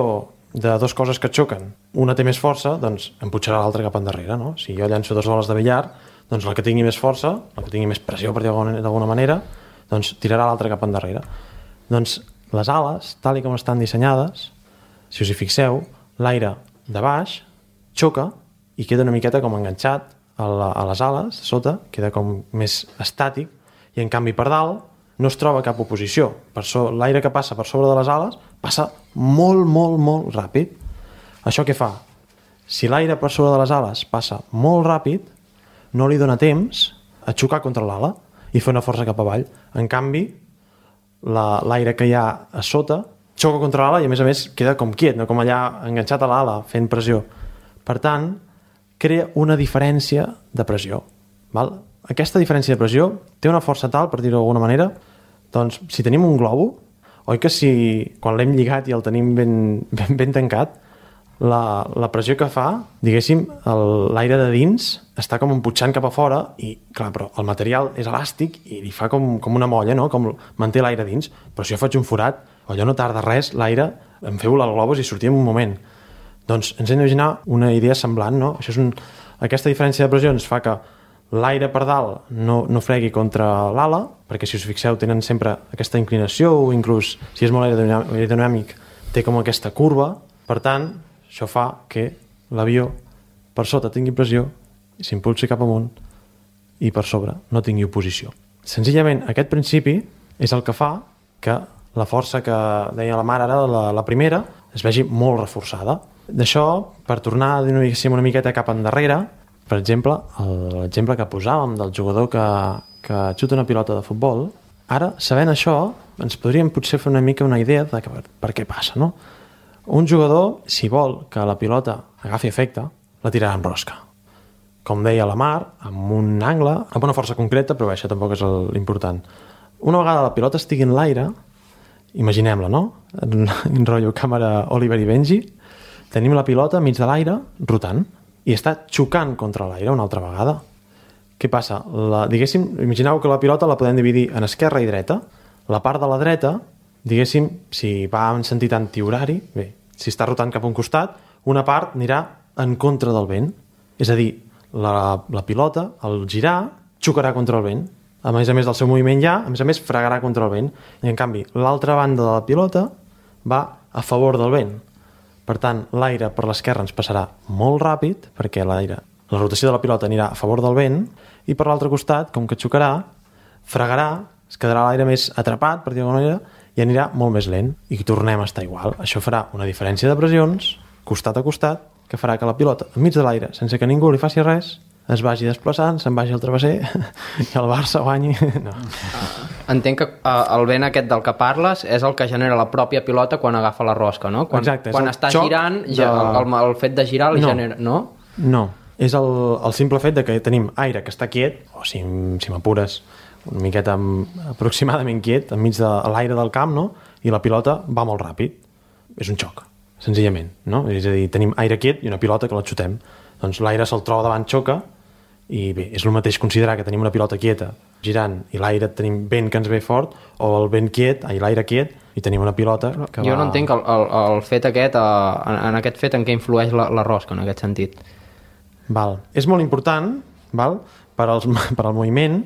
de dues coses que xoquen, una té més força, doncs em pujarà l'altra cap endarrere, no? Si jo llanço 2 boles de billar, doncs la que tingui més força, la que tingui més pressió, per dir-ho d'alguna manera, doncs tirarà l'altra cap endarrere. Doncs les ales, tal com estan dissenyades, si us hi fixeu, l'aire de baix xoca i queda una miqueta com enganxat a les ales, sota, queda com més estàtic, i en canvi per dalt no es troba cap oposició. L'aire que passa per sobre de les ales passa molt, molt, molt ràpid. Això què fa? Si l'aire per sobre de les ales passa molt ràpid, no li dona temps a xocar contra l'ala i fer una força cap avall. En canvi, l'aire que hi ha a sota xoca contra l'ala i a més queda com quiet, no com allà enganxat a l'ala fent pressió. Per tant, crea una diferència de pressió. Val? Aquesta diferència de pressió té una força tal, per dir-ho d'alguna manera, doncs si tenim un globo, oi que si quan l'hem lligat i el tenim ben tancat, la pressió que fa, diguéssim, l'aire de dins està com empujant cap a fora i, clar, però el material és elàstic i li fa com una molla, no? Com manté l'aire dins. Però si jo faig un forat, allò no tarda res, l'aire, em feu el globus i sortia en un moment. Doncs ens hem d'imaginar una idea semblant, no? Aquesta diferència de pressió ens fa que l'aire per dalt no fregui contra l'ala, perquè si us fixeu tenen sempre aquesta inclinació o inclús si és molt aerodinàmic té com aquesta curva. Per tant, això fa que l'avió per sota tingui pressió i s'impulsi cap amunt i per sobre no tingui oposició. Senzillament aquest principi és el que fa que la força que deia la mare ara, la primera, es vegi molt reforçada. D'això, per tornar a dir una miqueta cap endarrere, per exemple, l'exemple que posàvem del jugador que xuta una pilota de futbol, ara, sabent això, ens podríem potser fer una mica una idea de per què passa, no? Un jugador, si vol que la pilota agafi efecte, la tirarà en rosca. Com deia la Mar, amb un angle, amb una força concreta, però això tampoc és l'important. Una vegada la pilota estigui en l'aire, imaginem-la, no? En rotllo càmera Oliver i Benji, tenim la pilota enmig de l'aire, rotant, i està xocant contra l'aire una altra vegada. Què passa? Diguéssim, imagineu que la pilota la podem dividir en esquerra i dreta. La part de la dreta, diguéssim, si va en sentit antihorari, bé, si està rotant cap a un costat, una part anirà en contra del vent. És a dir, la pilota, al girar, xocarà contra el vent. A més del seu moviment ja, a més, fregarà contra el vent. I en canvi, l'altra banda de la pilota va a favor del vent. Per tant, l'aire per l'esquerra ens passarà molt ràpid, perquè la rotació de la pilota anirà a favor del vent, i per l'altre costat, com que xocarà, fregarà, es quedarà l'aire més atrapat, per dir-ho d'alguna manera, i anirà molt més lent, i tornem a estar igual. Això farà una diferència de pressions, costat a costat, que farà que la pilota, enmig de l'aire, sense que ningú li faci res, es vagi desplaçant, se'n vagi al travesser i el Barça guanyi. No. Entenc que el vent aquest del que parles és el que genera la pròpia pilota quan agafa la rosca, no? Exacte, quan està girant, el fet de girar li genera... No, és el simple fet de que tenim aire que està quiet, o si m'apures una miqueta aproximadament quiet, enmig de l'aire del camp, no? I la pilota va molt ràpid. És un xoc, senzillament, no? És a dir, tenim aire quiet i una pilota que la xutem. Doncs l'aire se'l troba davant, xoca, i bé, és el mateix considerar que tenim una pilota quieta girant i l'aire tenim vent que ens ve fort, o el vent quiet, l'aire quiet, i tenim una pilota que jo no entenc el fet aquest, en aquest fet en què influeix la rosca, en aquest sentit. Val. És molt important, val? Per al moviment,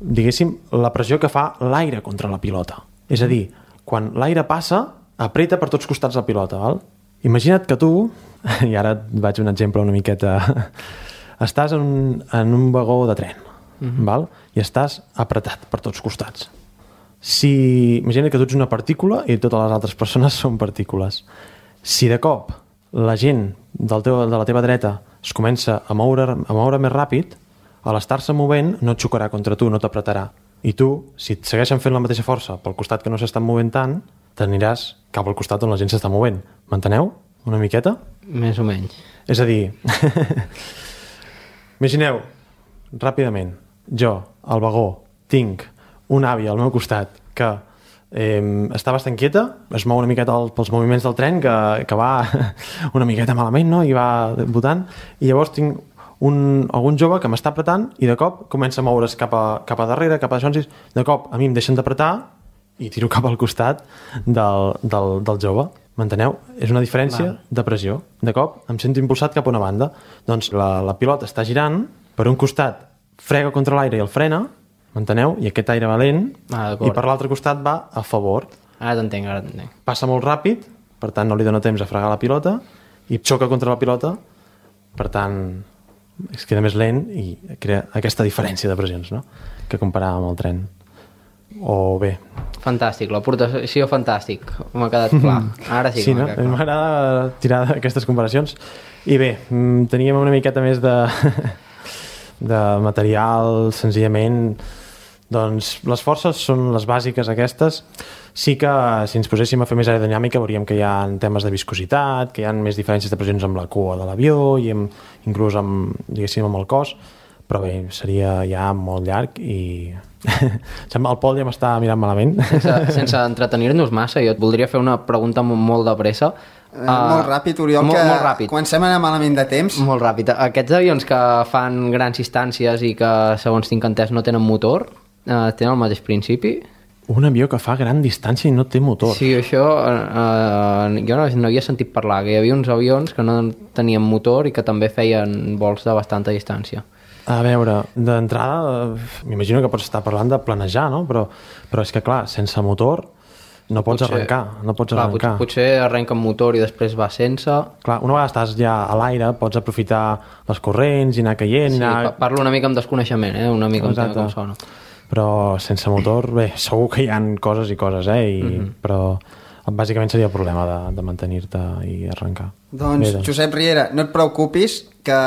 diguéssim, la pressió que fa l'aire contra la pilota. És a dir, quan l'aire passa, apreta per tots costats la pilota, val? Imagina't que tu, i ara et vaig un exemple una miqueta, estàs en un vagó de tren, val? I estàs apretat per tots costats. Imagina't que tu ets una partícula i totes les altres persones són partícules. Si de cop la gent de la teva dreta es comença a moure més ràpid, a l'estar-se movent no et xocarà contra tu, no t'apretarà. I tu, si et segueixen fent la mateixa força pel costat que no s'estan movent tant, t'aniràs cap al costat on la gent s'està movent. M'enteneu? Una miqueta? Més o menys. És a dir, imagineu, ràpidament, jo, al vagó, tinc una àvia al meu costat que està bastant quieta, es mou una miqueta pels moviments del tren, que va una miqueta malament, no? I va botant, i llavors tinc algun jove que m'està apretant i de cop comença a moure's cap a darrere, cap a això, de cop a mi em deixen d'apretar i tiro cap al costat del jove. M'enteneu? És una diferència de pressió. De cop em sento impulsat cap a una banda. Doncs la pilota està girant, per un costat frega contra l'aire i el frena, m'enteneu? I aquest aire va lent, i per l'altre costat va a favor. Ara t'entenc. Passa molt ràpid, per tant no li dona temps a fregar la pilota, i xoca contra la pilota, per tant es queda més lent i crea aquesta diferència de pressions, no? Que comparàvem amb el tren. O bé. Fantàstic, l'aportació fantàstic, m'ha quedat clar. Ara sí que no? M'agrada tirar aquestes comparacions. I bé, teníem una miqueta més de material, senzillament. Doncs les forces són les bàsiques aquestes. Sí que si ens poséssim a fer més aerodinàmica veuríem que hi ha temes de viscositat, que hi ha més diferències de pressions amb la cua de l'avió i inclús amb el cos, però bé, seria ja molt llarg i el Pol ja m'està mirant malament. Sense entretenir-nos massa, jo et voldria fer una pregunta molt de pressa. Molt ràpid, Oriol, molt ràpid. Comencem a anar malament de temps. Molt ràpid. Aquests avions que fan grans distàncies i que, segons tinc entès, no tenen motor, tenen el mateix principi? Un avió que fa gran distància i no té motor. Sí, això jo no havia sentit parlar, que hi havia uns avions que no tenien motor i que també feien vols de bastanta distància. A veure, d'entrada, m'imagino que pots estar parlant de planejar, no? Però és que, clar, sense motor no pots arrencar. Potser arrenca amb motor i després va sense. Clar, una vegada estàs ja a l'aire, pots aprofitar les corrents i anar caient. Parlo una mica amb desconeixement, una mica amb com sona. Però sense motor, bé, segur que hi ha coses i coses, però bàsicament seria el problema de mantenir-te i arrencar. Doncs, Josep Riera, no et preocupis, que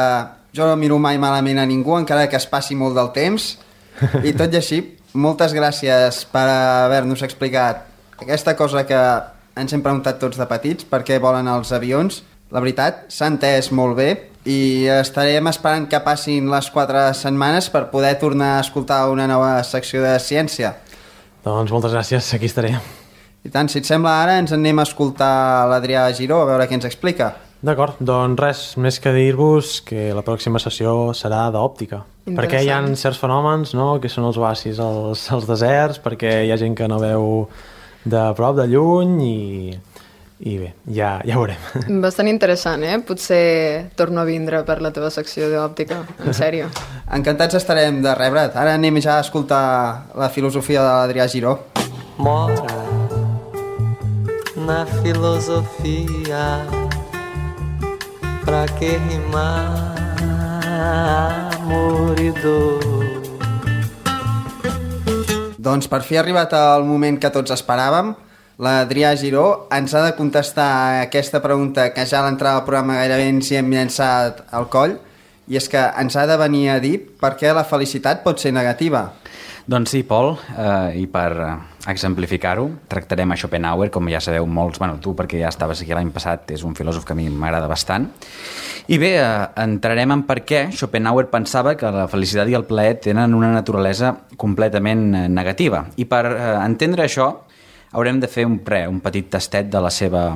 jo no miro mai malament a ningú, encara que es passi molt del temps, i tot i així, moltes gràcies per haver-nos explicat aquesta cosa que ens hem preguntat tots de petits, per què volen els avions. La veritat, s'ha entès molt bé i estarem esperant que passin les 4 setmanes per poder tornar a escoltar una nova secció de ciència. Doncs moltes gràcies, aquí estaré. I tant, si et sembla ara, ens anem a escoltar l'Adrià Giró, a veure què ens explica. D'acord, doncs res, més que dir-vos que la pròxima sessió serà d'òptica. Perquè hi ha certs fenòmens, no?, que són els oasis als deserts, perquè hi ha gent que no veu de prop, de lluny, i bé, ja ho veurem. Bastant interessant, Potser torno a vindre per la teva secció d'òptica, en sèrio. Encantats estarem de rebre't. Ara anem ja a escoltar la filosofia de l'Adrià Giró. Mora na filosofia, pra que rimar amor i dor. Doncs per fi ha arribat el moment que tots esperàvem. L'Adrià Giró ens ha de contestar aquesta pregunta que ja a l'entrada del programa gairebé ens hi hem llançat al coll, i és que ens ha de venir a dir per què la felicitat pot ser negativa. Doncs sí, Pol, i per exemplificar-ho, tractarem a Schopenhauer, com ja sabeu molts, tu perquè ja estaves aquí l'any passat, és un filòsof que a mi m'agrada bastant. I bé, entrarem en per què Schopenhauer pensava que la felicitat i el plaer tenen una naturalesa completament negativa. I per entendre això, haurem de fer un petit tastet de la seva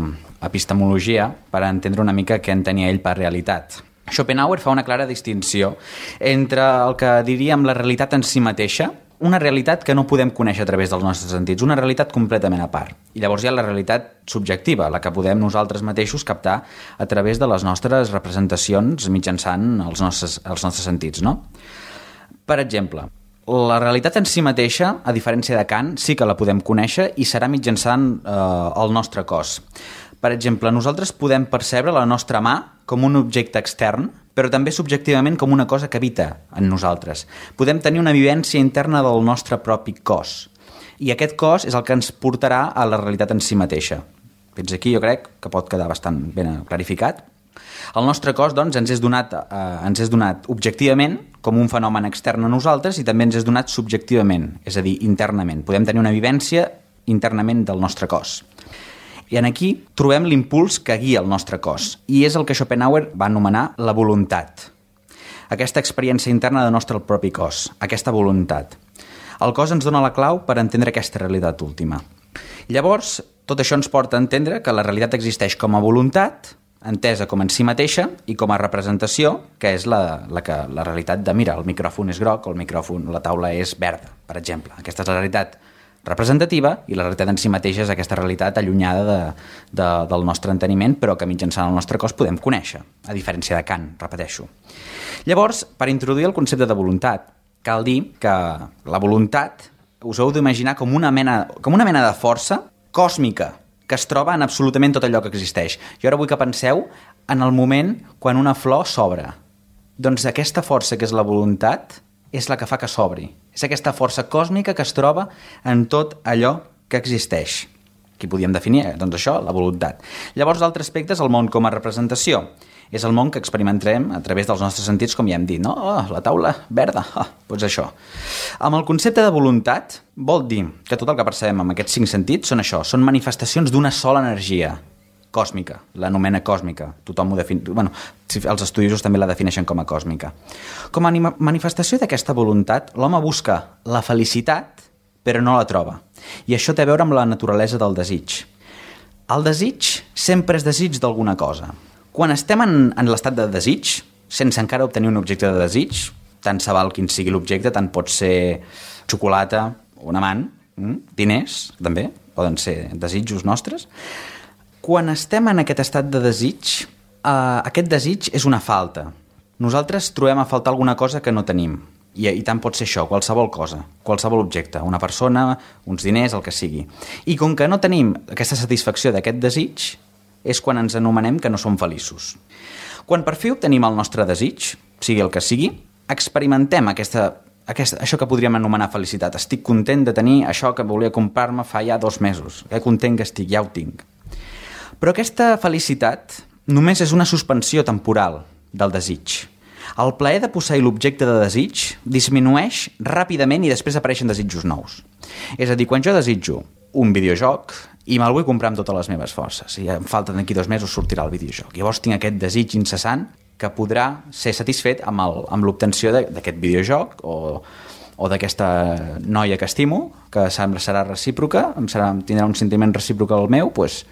epistemologia per entendre una mica què entenia ell per realitat. Schopenhauer fa una clara distinció entre el que diríem la realitat en si mateixa, una realitat que no podem conèixer a través dels nostres sentits, una realitat completament a part. I llavors hi ha la realitat subjectiva, la que podem nosaltres mateixos captar a través de les nostres representacions mitjançant els nostres sentits, no? Per exemple, la realitat en si mateixa, a diferència de Kant, sí que la podem conèixer i serà mitjançant el nostre cos. Per exemple, nosaltres podem percebre la nostra mà com un objecte extern, però també subjectivament com una cosa que habita en nosaltres. Podem tenir una vivència interna del nostre propi cos. I aquest cos és el que ens portarà a la realitat en si mateixa. Fins aquí jo crec que pot quedar bastant ben clarificat. El nostre cos, doncs, ens és donat objectivament com un fenomen extern a nosaltres i també ens és donat subjectivament, és a dir, internament. Podem tenir una vivència internament del nostre cos. I en aquí trobem l'impuls que guia el nostre cos, i és el que Schopenhauer va anomenar la voluntat. Aquesta experiència interna del nostre propi cos, aquesta voluntat. El cos ens dona la clau per entendre aquesta realitat última. Llavors, tot això ens porta a entendre que la realitat existeix com a voluntat, entesa com en si mateixa, i com a representació, que és la realitat de, mira, el micròfon és groc o la taula és verda, per exemple. Aquesta és la realitat representativa, i la realitat en si mateixa és aquesta realitat allunyada del nostre enteniment, però que mitjançant el nostre cos podem conèixer, a diferència de Kant, repeteixo. Llavors, per introduir el concepte de voluntat, cal dir que la voluntat us heu d'imaginar com una mena de força còsmica que es troba en absolutament tot allò que existeix. Jo ara vull que penseu en el moment quan una flor s'obre. Doncs aquesta força que és la voluntat és la que fa que s'obri. És aquesta força còsmica que es troba en tot allò que existeix. Aquí podíem definir, doncs això, la voluntat. Llavors, l'altre aspecte és el món com a representació. És el món que experimentarem a través dels nostres sentits, com ja hem dit, no? Oh, la taula verda, doncs això. Amb el concepte de voluntat, vol dir que tot el que percebem amb aquests 5 sentits són això, són manifestacions d'una sola energia còsmica, l'anomena còsmica. Tothom ho defineix, bueno, els estudiosos també la defineixen com a còsmica. Com a manifestació d'aquesta voluntat, l'home busca la felicitat, però no la troba. I això té a veure amb la naturalesa del desig. El desig sempre és desig d'alguna cosa. Quan estem en l'estat de desig, sense encara obtenir un objecte de desig, tant se val quin sigui l'objecte, tant pot ser xocolata, un amant, diners, també, poden ser desitjos nostres. Quan estem en aquest estat de desig, aquest desig és una falta. Nosaltres trobem a faltar alguna cosa que no tenim. I tant pot ser això, qualsevol cosa, qualsevol objecte, una persona, uns diners, el que sigui. I com que no tenim aquesta satisfacció d'aquest desig, és quan ens anomenem que no som feliços. Quan per fi obtenim el nostre desig, sigui el que sigui, experimentem això que podríem anomenar felicitat. Estic content de tenir això que volia comprar-me fa ja 2 mesos. Que content que estic, ja ho tinc. Però aquesta felicitat només és una suspensió temporal del desig. El plaer de posseir l'objecte de desig disminueix ràpidament i després apareixen desitjos nous. És a dir, quan jo desitjo un videojoc i me'l vull comprar amb totes les meves forces i em falta d'aquí 2 mesos sortirà el videojoc. Llavors tinc aquest desig incessant que podrà ser satisfet amb l'obtenció d'aquest videojoc o d'aquesta noia que estimo, que serà recíproca, tindrà un sentiment recíproc al meu, doncs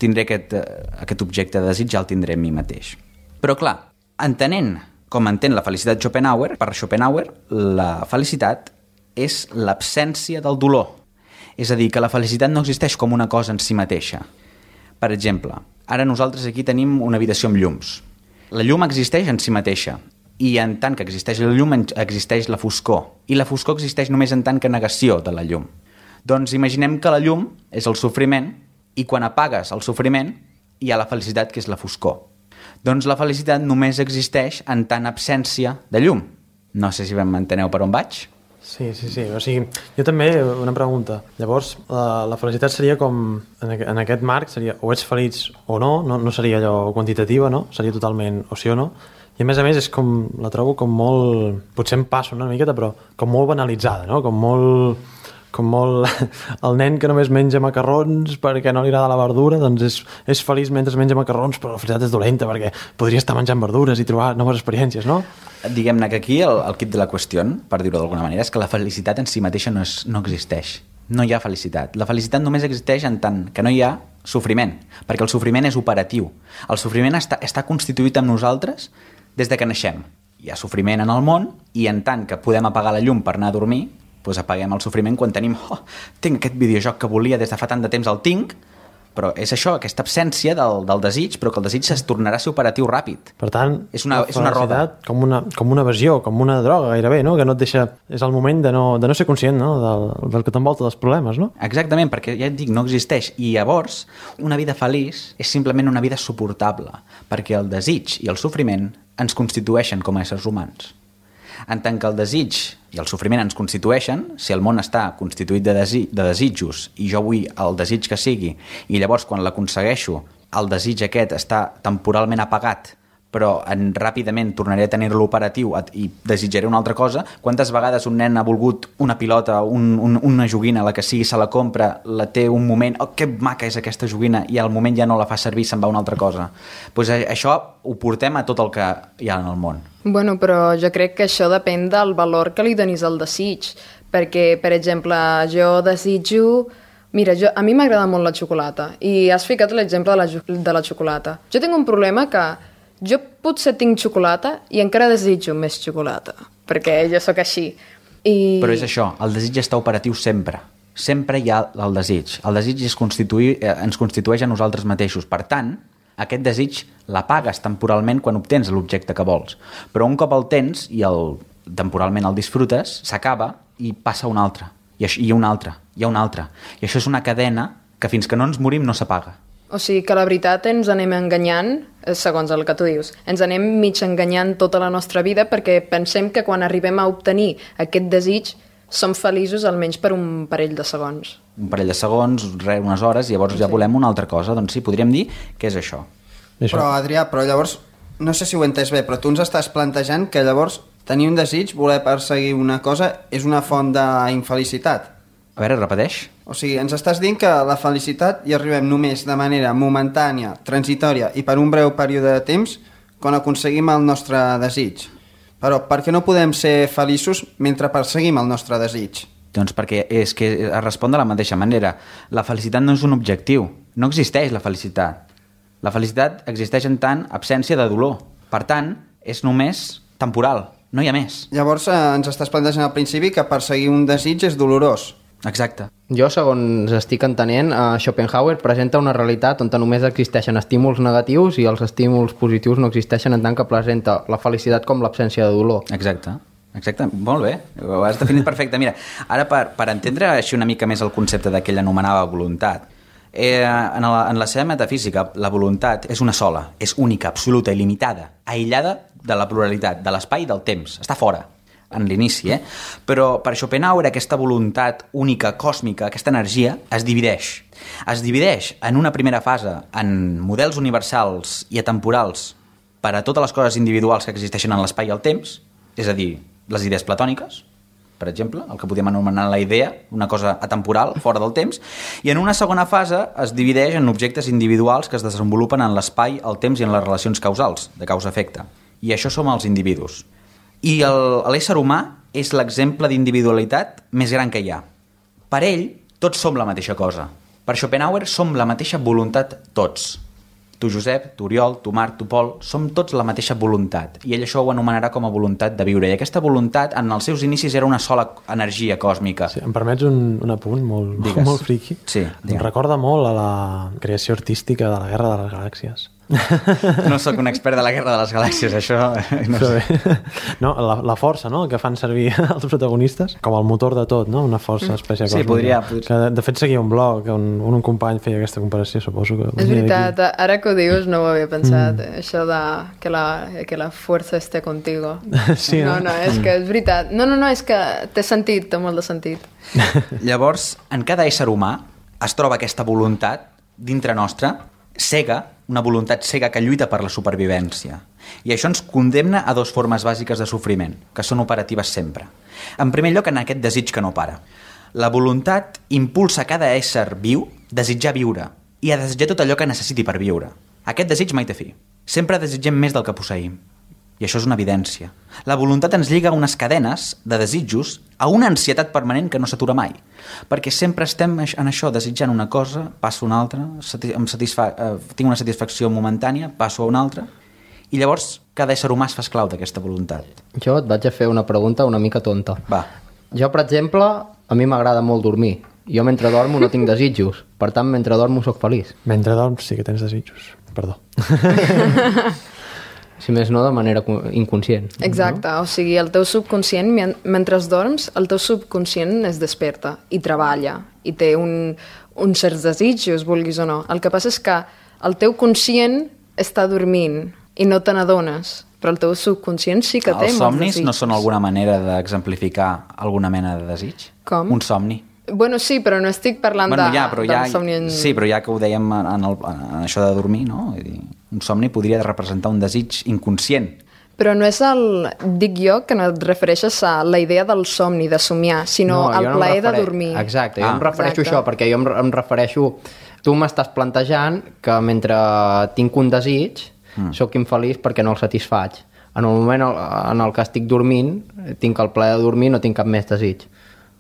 tindré aquest objecte de desig, ja el tindré en mi mateix. Però clar, entenent com entén la felicitat Schopenhauer, per Schopenhauer la felicitat és l'absència del dolor. És a dir, que la felicitat no existeix com una cosa en si mateixa. Per exemple, ara nosaltres aquí tenim una habitació amb llums. La llum existeix en si mateixa, i en tant que existeix la llum existeix la foscor, i la foscor existeix només en tant que negació de la llum. Doncs imaginem que la llum és el sofriment, i quan apagues el sofriment hi ha la felicitat, que és la foscor. Doncs la felicitat només existeix en tant absència de llum. No sé si m'enteneu per on vaig. Sí. O sigui, jo també, una pregunta. Llavors, la felicitat seria com, en aquest marc, seria o ets feliç o no seria allò quantitativa, no? Seria totalment o sí o no. I a més, és com, la trobo com molt, potser em passo una miqueta, però com molt banalitzada, no? Com molt el nen que només menja macarrons perquè no li agrada la verdura, doncs és feliç mentre menja macarrons, però la felicitat és dolenta perquè podria estar menjant verdures i trobar noves experiències, no? Diguem-ne que aquí el quid de la qüestió, per dir-ho d'alguna manera, és que la felicitat en si mateixa no existeix. No hi ha felicitat. La felicitat només existeix en tant que no hi ha sofriment, perquè el sofriment és operatiu. El sofriment està constituït amb nosaltres des de que naixem. Hi ha sofriment en el món i en tant que podem apagar la llum per anar a dormir, doncs apaguem el sofriment quan tenim tinc aquest videojoc que volia des de fa tant de temps, el tinc, però és això, aquesta absència del desig, però que el desig es tornarà a ser operatiu ràpid. Per tant, és una roda. Com una evasió, com una droga gairebé, no? Que no et deixa... És el moment de no ser conscient, no? del que t'envolta dels problemes, no? Exactament, perquè ja et dic, no existeix. I llavors, una vida feliç és simplement una vida suportable, perquè el desig i el sofriment ens constitueixen com a éssers humans. En tant que el desig i el sofriment ens constitueixen, si el món està constituït de desitjos i jo vull el desig que sigui, i llavors quan l'aconsegueixo el desig aquest està temporalment apagat però ràpidament tornaré a tenir-lo operatiu i desitjaré una altra cosa. Quantes vegades un nen ha volgut una pilota, una joguina, la que sigui, se la compra, la té un moment, oh, que maca és aquesta joguina, i al moment ja no la fa servir, se'n va una altra cosa. Pues això ho portem a tot el que hi ha en el món. Bueno, però jo crec que això depèn del valor que li donis al desig, perquè, per exemple, jo desitjo... Mira, a mi m'agrada molt la xocolata, i has ficat l'exemple de la xocolata. Jo tinc un problema que jo potser tinc xocolata i encara desitjo més xocolata, perquè jo sóc així. Però és això, el desig està operatiu sempre. Sempre hi ha el desig. El desig ens constitueix a nosaltres mateixos. Per tant, aquest desig l'apagues temporalment quan obtens l'objecte que vols. Però un cop el tens i temporalment el disfrutes, s'acaba i passa un altre. I un altre, i un altre. I això és una cadena que fins que no ens morim no s'apaga. O sigui que la veritat ens anem enganyant, segons el que tu dius, ens anem mig enganyant tota la nostra vida perquè pensem que quan arribem a obtenir aquest desig som feliços almenys per un parell de segons. Un parell de segons, unes hores, i llavors ja volem una altra cosa. Doncs sí, podríem dir que és això. Però, Adrià, llavors, no sé si ho he entès bé, però tu ens estàs plantejant que llavors tenir un desig, voler perseguir una cosa, és una font d'infelicitat. A veure, repeteix. O sigui, ens estàs dient que la felicitat hi arribem només de manera momentània, transitòria i per un breu període de temps quan aconseguim el nostre desig. Però per què no podem ser feliços mentre perseguim el nostre desig? Doncs perquè és que es respon de la mateixa manera. La felicitat no és un objectiu. No existeix la felicitat. La felicitat existeix en tant absència de dolor. Per tant, és només temporal. No hi ha més. Llavors ens estàs plantejant al principi que perseguir un desig és dolorós. Exacte. Jo, segons estic entenent, Schopenhauer presenta una realitat on només existeixen estímuls negatius i els estímuls positius no existeixen, en tant que presenta la felicitat com l'absència de dolor. Exacte. Exacte, molt bé, ho has definit perfecte. Mira, ara per entendre així una mica més el concepte de que ell anomenava voluntat, en la seva metafísica la voluntat és una sola, és única, absoluta, il·limitada, aïllada de la pluralitat, de l'espai i del temps, està fora en l'inici, però per Schopenhauer aquesta voluntat única, còsmica, aquesta energia es divideix. Es divideix en una primera fase en models universals i atemporals per a totes les coses individuals que existeixen en l'espai i el temps, és a dir, les idees platòniques, per exemple, el que podem anomenar la idea, una cosa atemporal, fora del temps, i en una segona fase es divideix en objectes individuals que es desenvolupen en l'espai, el temps i en les relacions causals, de causa-efecte. I això som els individus. I l'ésser humà és l'exemple d'individualitat més gran que hi ha. Per ell, tots som la mateixa cosa. Per Schopenhauer, som la mateixa voluntat tots. Tu, Josep, tu, Oriol, tu, Marc, tu, Pol, som tots la mateixa voluntat. I ell això ho anomenarà com a voluntat de viure. I aquesta voluntat, en els seus inicis, era una sola energia còsmica. Sí, em permets un apunt molt friqui? Sí, em recorda molt a la creació artística de la Guerra de les Galàxies. No sóc un expert de la Guerra de les Galàxies, això no sé. No, la força, no?, que fan servir els protagonistes com el motor de tot, no?, una força espècie còsmica. Sí, podria. Que, de fet, seguia un blog on un company feia aquesta comparació, suposo que... És veritat, ara que ho dius no ho havia pensat, això de que la força esté contigo. Sí, no, és que és veritat. No, és que té sentit, té molt de sentit. Llavors, en cada ésser humà es troba aquesta voluntat dintre nostra, cega, una voluntat cega que lluita per la supervivència. I això ens condemna a dues formes bàsiques de sofriment, que són operatives sempre. En primer lloc, en aquest desig que no para. La voluntat impulsa cada ésser viu a desitjar viure i a desitjar tot allò que necessiti per viure. Aquest desig mai té fi. Sempre desitgem més del que posseïm. I això és una evidència. La voluntat ens lliga a unes cadenes de desitjos, a una ansietat permanent que no s'atura mai. Perquè sempre estem en això, desitjant una cosa, passo a una altra, tinc una satisfacció momentània, passo a una altra, i llavors cada ésser humà es fa esclau d'aquesta voluntat. Jo et vaig a fer una pregunta una mica tonta. Va. Jo, per exemple, a mi m'agrada molt dormir. Jo mentre dormo no tinc desitjos, per tant, mentre dormo soc feliç. Mentre dorms sí que tens desitjos, perdó. Si més no, de manera inconscient. Exacte, o sigui, el teu subconscient, mentre dorms, el teu subconscient es desperta i treballa, i té uns certs desitjos, vulguis o no. El que passa és que el teu conscient està dormint i no te n'adones, però el teu subconscient sí que té molts desitjos. Els somnis no són alguna manera d'exemplificar alguna mena de desig? Com? Un somni. Bueno, sí, però no estic parlant del somni... Sí, però ja que ho dèiem en això de dormir, no? Un somni podria representar un desig inconscient. Però no és dic jo, que no et refereixes a la idea del somni, de somiar, sinó al plaer de dormir. Exacte, jo em refereixo a això, perquè jo em refereixo... Tu m'estàs plantejant que mentre tinc un desig, sóc infeliç perquè no el satisfaig. En el moment en el que estic dormint, tinc el plaer de dormir, no tinc cap més desig.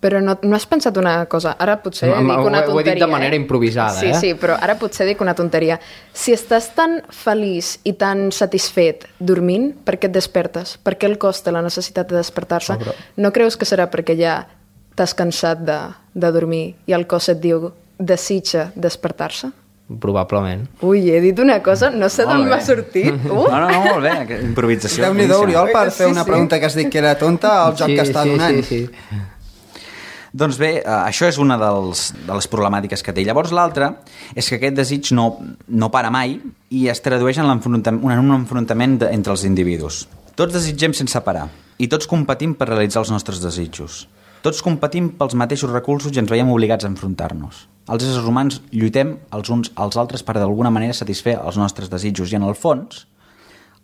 Però no has pensat una cosa? Ara potser dic una tonteria. Ho he dit de manera improvisada, sí, Sí, però ara potser dic una tonteria. Si estàs tan feliç i tan satisfet dormint, per què et despertes? Per què el cos té la necessitat de despertar-se? No creus que serà perquè ja t'has cansat de dormir i el cos et diu desitja despertar-se? Probablement. Ui, he dit una cosa, no sé d'on m'ha sortit. No, molt bé, improvisació. Déu-n'hi-do, Oriol, per fer una pregunta que has dit que era tonta, el joc que està donant. Sí. Doncs bé, això és una de les problemàtiques que té. Llavors l'altra és que aquest desig no para mai i es tradueix en un enfrontament entre els individus. Tots desitgem sense parar i tots competim per realitzar els nostres desitjos. Tots competim pels mateixos recursos i ens veiem obligats a enfrontar-nos. Els éssers humans lluitem els uns als altres per d'alguna manera satisfer els nostres desitjos i en el fons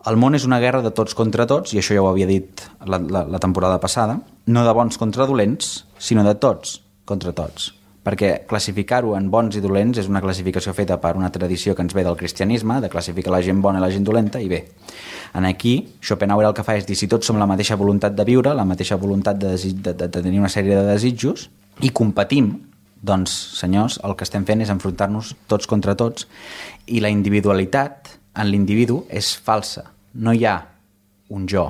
el món és una guerra de tots contra tots, i això ja ho havia dit la temporada passada, no de bons contra dolents, sinó de tots contra tots. Perquè classificar-ho en bons i dolents és una classificació feta per una tradició que ens ve del cristianisme, de classificar la gent bona i la gent dolenta, i bé, aquí Schopenhauer el que fa és dir si tots som la mateixa voluntat de viure, la mateixa voluntat de tenir una sèrie de desitjos, i competim, doncs, senyors, el que estem fent és enfrontar-nos tots contra tots, i la individualitat en l'individu és falsa. No hi ha un jo,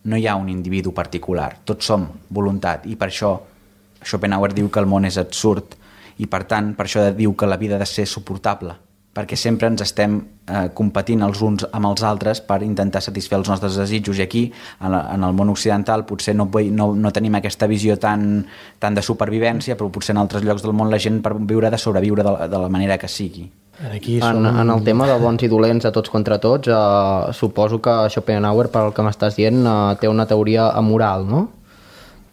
no hi ha un individu particular. Tots som voluntat i per això Schopenhauer diu que el món és absurd i per tant per això diu que la vida ha de ser suportable, perquè sempre ens estem competint els uns amb els altres per intentar satisfer els nostres desitjos, i aquí en el món occidental potser no tenim aquesta visió tan de supervivència, però potser en altres llocs del món la gent per viure de sobreviure de la manera que sigui. En el tema de bons i dolents de tots contra tots, suposo que Schopenhauer, pel que m'estàs dient, té una teoria amoral, no?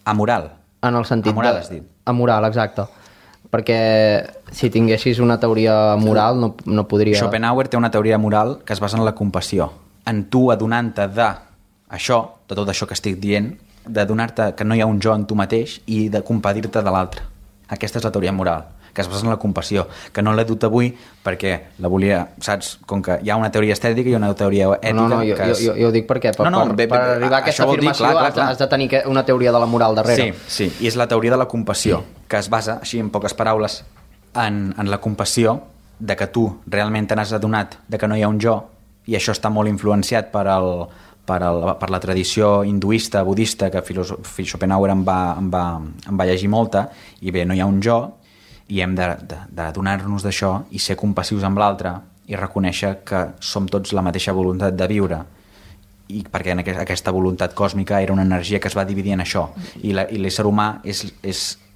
Amoral? En el sentit amoral, has dit. Amoral, exacte. Perquè si tinguessis una teoria moral no podria... Schopenhauer té una teoria moral que es basa en la compassió. En tu adonant-te de tot això que estic dient, d'adonar-te que no hi ha un jo en tu mateix i de compadir-te de l'altre. Aquesta és la teoria moral, que es basa en la compassió, que no l'he dut avui perquè la volia, saps, com que hi ha una teoria estètica i una teoria ètica... Jo ho dic perquè per arribar a aquesta afirmació has de tenir una teoria de la moral darrere. Sí, i és la teoria de la compassió, que es basa, així en poques paraules, en la compassió de que tu realment te n'has adonat de que no hi ha un jo, i això està molt influenciat per la tradició hinduista, budista, que Schopenhauer en va llegir molta, i bé, no hi ha un jo, i hem d'adonar-nos d'això i ser compassius amb l'altre i reconèixer que som tots la mateixa voluntat de viure, i perquè aquesta voluntat còsmica era una energia que es va dividir en això, i l'ésser humà és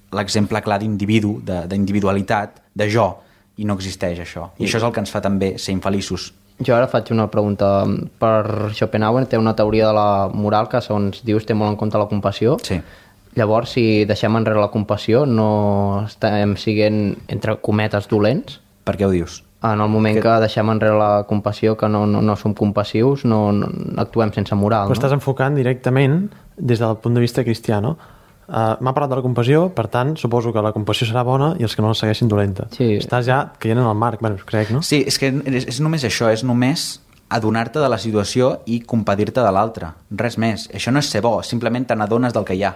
l'exemple clar d'individu, d'individualitat, de jo, i no existeix això, i això és el que ens fa també ser infeliços. Jo ara faig una pregunta. Per Schopenhauer té una teoria de la moral que, segons dius, té molt en compte la compassió. Sí. Llavors, si deixem enrere la compassió, no estem siguent, entre cometes, dolents? Per què ho dius? En el moment que deixem enrere la compassió, que no som compassius, no actuem sense moral, no? Estàs enfocant directament des del punt de vista cristià, no? M'ha parlat de la compassió, per tant, suposo que la compassió serà bona i els que no la segueixin dolenta. Sí. Estàs ja caient en el marc, crec, no? Sí, és que és només això, és només adonar-te de la situació i compadir-te de l'altre. Res més. Això no és ser bo, simplement te n'adones del que hi ha.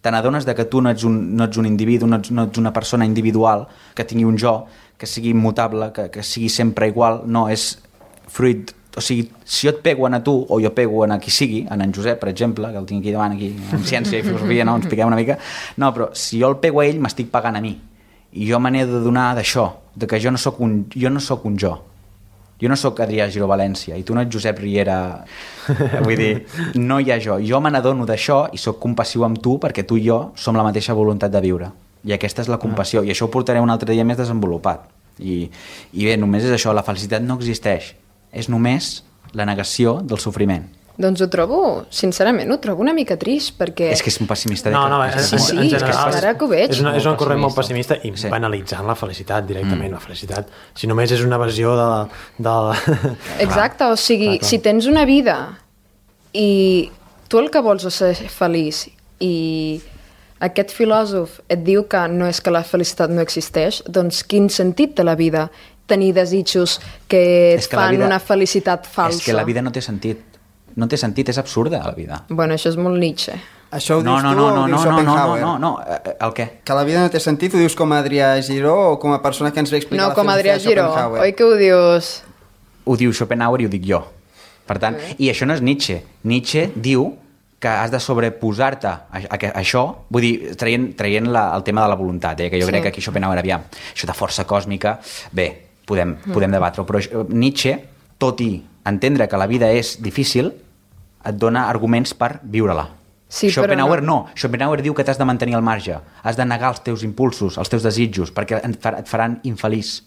Te n'adones que tu no ets un individu, no ets una persona individual que tingui un jo, que sigui immutable, que sigui sempre igual. No, és fruit... O sigui, si jo et pego a tu, o jo pego a qui sigui, en Josep, per exemple, que el tinc aquí davant, aquí, en ciència i filosofia, no? Ens piquem una mica. No, però si jo el pego a ell, m'estic pagant a mi. I jo me n'he d'adonar d'això, de que jo no sóc un jo. Jo no sóc Adrià Giró València, i tu no ets Josep Riera. Vull dir, no hi ha jo. Jo me n'adono d'això i sóc compassiu amb tu perquè tu i jo som la mateixa voluntat de viure. I aquesta és la compassió. I això ho portaré un altre dia més desenvolupat. I bé, només és això, la felicitat no existeix. És només la negació del sofriment. Doncs ho trobo, sincerament, ho trobo una mica trist, perquè... És que és un pessimista. No, en general, ara que ho veig. És un corrent molt pessimista i banalitzant la felicitat directament. La felicitat, si només és una versió de... Exacte, o sigui, si tens una vida i tu el que vols és ser feliç i aquest filòsof et diu que no és que la felicitat no existeix, doncs quin sentit té la vida? Tenir desitjos que et fan una felicitat falsa. És que la vida no té sentit. No té sentit, és absurda la vida. Bueno, això és molt Nietzsche. Això ho dius tu o ho diu Schopenhauer? No, el què? Que la vida no té sentit, ho dius com a Adrià Giró o com a persona que ens ve explicar no, com a Adrià Giró, oi que ho dius? Ho diu Schopenhauer i ho dic jo. Per tant, i això no és Nietzsche. Nietzsche diu que has de sobreposar-te a això, vull dir, traient el tema de la voluntat, que jo crec que aquí Schopenhauer aviam. Això de força còsmica, bé, podem debatre-ho, però Nietzsche, tot i entendre que la vida és difícil, et dona arguments per viure-la. Sí, Schopenhauer no. Schopenhauer diu que t'has de mantenir al marge, has de negar els teus impulsos, els teus desitjos, perquè et faran infeliç,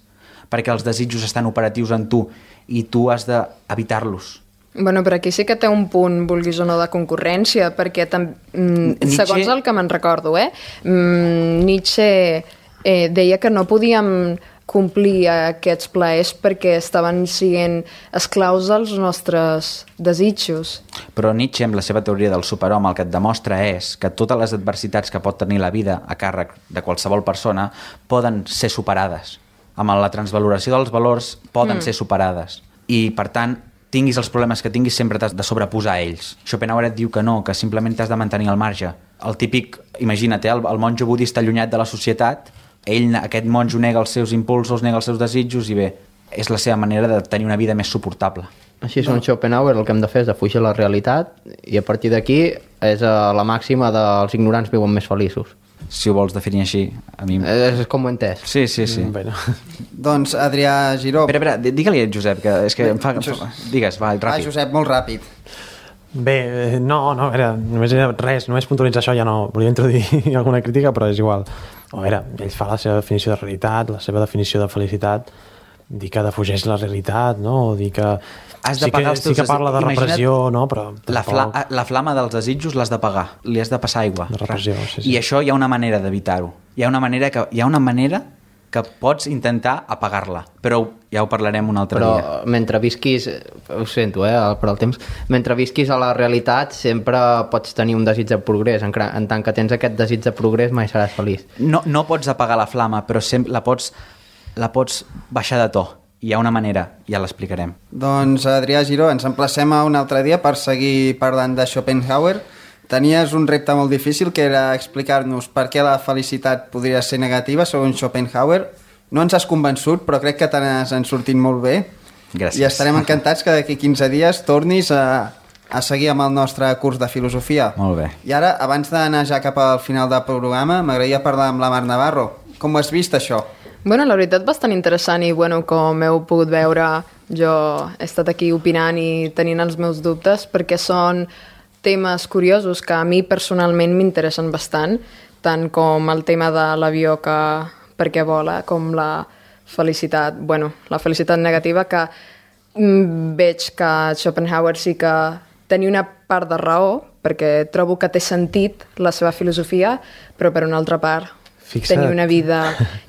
perquè els desitjos estan operatius en tu i tu has d'evitar-los. Bueno, però aquí sí que té un punt, vulguis o no, de concurrència, perquè segons el que me'n recordo, Nietzsche deia que no podíem complir aquests plaers perquè estaven sent esclaus dels nostres desitjos. Però Nietzsche, amb la seva teoria del superhome, el que et demostra és que totes les adversitats que pot tenir la vida a càrrec de qualsevol persona poden ser superades. Amb la transvaloració dels valors poden ser superades. I, per tant, tinguis els problemes que tinguis, sempre t'has de sobreposar a ells. Schopenhauer et diu que no, que simplement t'has de mantenir al marge. El típic, imagina't, el monjo budista allunyat de la societat, aquest monjo nega els seus impulsos, nega els seus desitjos i bé, és la seva manera de tenir una vida més suportable. Així és un Schopenhauer, el que hem de fer és defugir la realitat i a partir d'aquí és la màxima dels ignorants viuen més feliços. Si ho vols definir així, a mi... És com ho he entès. Sí. Bueno. Doncs, Adrià Giró... Espera, digue-li a Josep, que és que em fa... Digues, va, ràpid. Josep, molt ràpid. Bé, no, només era res, només puntualitzar això, ja no volia introduir alguna crítica, però és igual. A veure, ell fa la seva definició de realitat, la seva definició de felicitat, dir que defugeix la realitat, no? O dir que... Has de pagar els teus... Sí que parla de repressió, no? Però la flama dels desitjos l'has de pagar, li has de passar aigua. De repressió, sí. I això hi ha una manera d'evitar-ho. Hi ha una manera que pots intentar apagar-la, però ja ho parlarem un altre dia. Però mentre visquis, ho sento, per al temps, mentre visquis a la realitat sempre pots tenir un desig de progrés, en tant que tens aquest desig de progrés mai seràs feliç. No pots apagar la flama, però la pots baixar de to. Hi ha una manera, ja l'explicarem. Doncs, Adrià Giró, ens emplacem a un altre dia per seguir parlant de Schopenhauer. Tenies un repte molt difícil, que era explicar-nos per què la felicitat podria ser negativa, segons Schopenhauer. No ens has convençut, però crec que te n'has sortit molt bé. Gràcies. I estarem encantats que d'aquí 15 dies tornis a seguir amb el nostre curs de filosofia. Molt bé. I ara, abans d'anar ja cap al final del programa, m'agradaria parlar amb la Mar Navarro. Com ho has vist, això? Bueno, la veritat, bastant interessant i, bueno, com heu pogut veure, jo he estat aquí opinant i tenint els meus dubtes perquè són temes curiosos que a mi personalment m'interessen bastant, tant com el tema de l'avió que per què vola, com la felicitat, bueno, la felicitat negativa, que veig que Schopenhauer sí que tenia una part de raó, perquè trobo que té sentit la seva filosofia, però per una altra part tenir una vida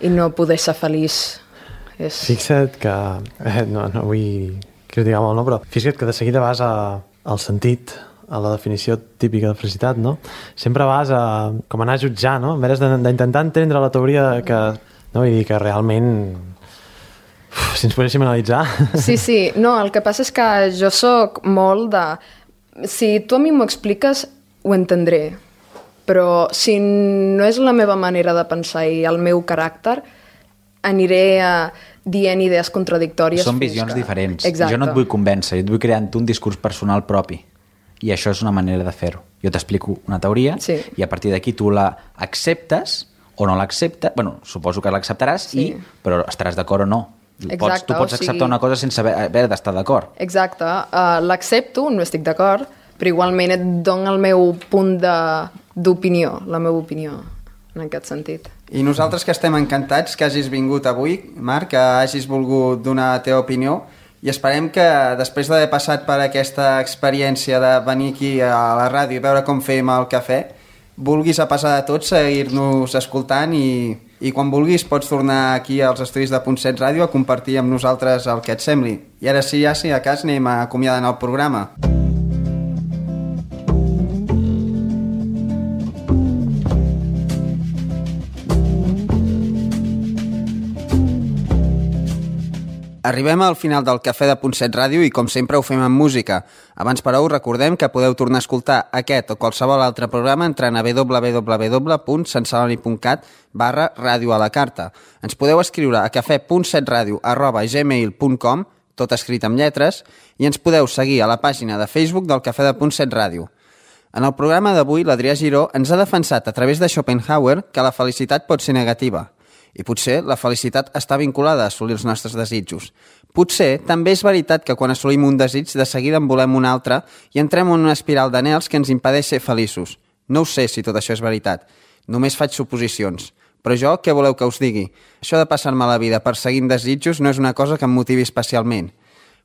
i no poder ser feliç. Fixa't que... No vull criticar molt, no? Però fixa't que de seguida vas al sentit, a la definició típica de felicitat, no? Sempre vas com anar a jutjar, no? En vez d'intentar entendre la teoria que... No? Vull dir que realment... si ens poguéssim analitzar... Sí. No, el que passa és que jo sóc molt de... Si tu a mi m'ho expliques, ho entendré. Però si no és la meva manera de pensar i el meu caràcter, aniré dient idees contradictòries. Són visions diferents. Exacte. Jo no et vull convèncer, jo et vull crear un discurs personal propi. I això és una manera de fer-ho. Jo t'explico una teoria i a partir d'aquí tu la acceptes o no l'acceptes. Bueno, suposo que l'acceptaràs, però estaràs d'acord o no. Exacte, tu pots acceptar una cosa sense haver d'estar d'acord. Exacte. L'accepto, no estic d'acord, però igualment et dono el meu punt d'opinió, la meva opinió, en aquest sentit. I nosaltres que estem encantats que hagis vingut avui, Marc, que hagis volgut donar la teva opinió. I esperem que després d'haver passat per aquesta experiència de venir aquí a la ràdio i veure com fem el cafè, vulguis a passar de tot seguir-nos escoltant i quan vulguis pots tornar aquí als estudis de Punt 7 Ràdio a compartir amb nosaltres el que et sembli. I ara sí, ja si a cas anem acomiadant el programa. Arribem al final del Cafè de Punt 7 Ràdio i, com sempre, ho fem amb música. Abans, però, us recordem que podeu tornar a escoltar aquest o qualsevol altre programa entrant a www.santceloni.cat/ràdio a la carta. Ens podeu escriure a cafè.7radio@gmail.com, tot escrit amb lletres, i ens podeu seguir a la pàgina de Facebook del Cafè de Punt 7 Ràdio. En el programa d'avui, l'Adrià Giró ens ha defensat a través de Schopenhauer que la felicitat pot ser negativa. I potser la felicitat està vinculada a assolir els nostres desitjos. Potser també és veritat que quan assolim un desig de seguida en volem un altre i entrem en una espiral d'anhels que ens impedeix ser feliços. No ho sé si tot això és veritat. Només faig suposicions. Però jo, què voleu que us digui? Això de passar-me la vida perseguint desitjos no és una cosa que em motivi especialment.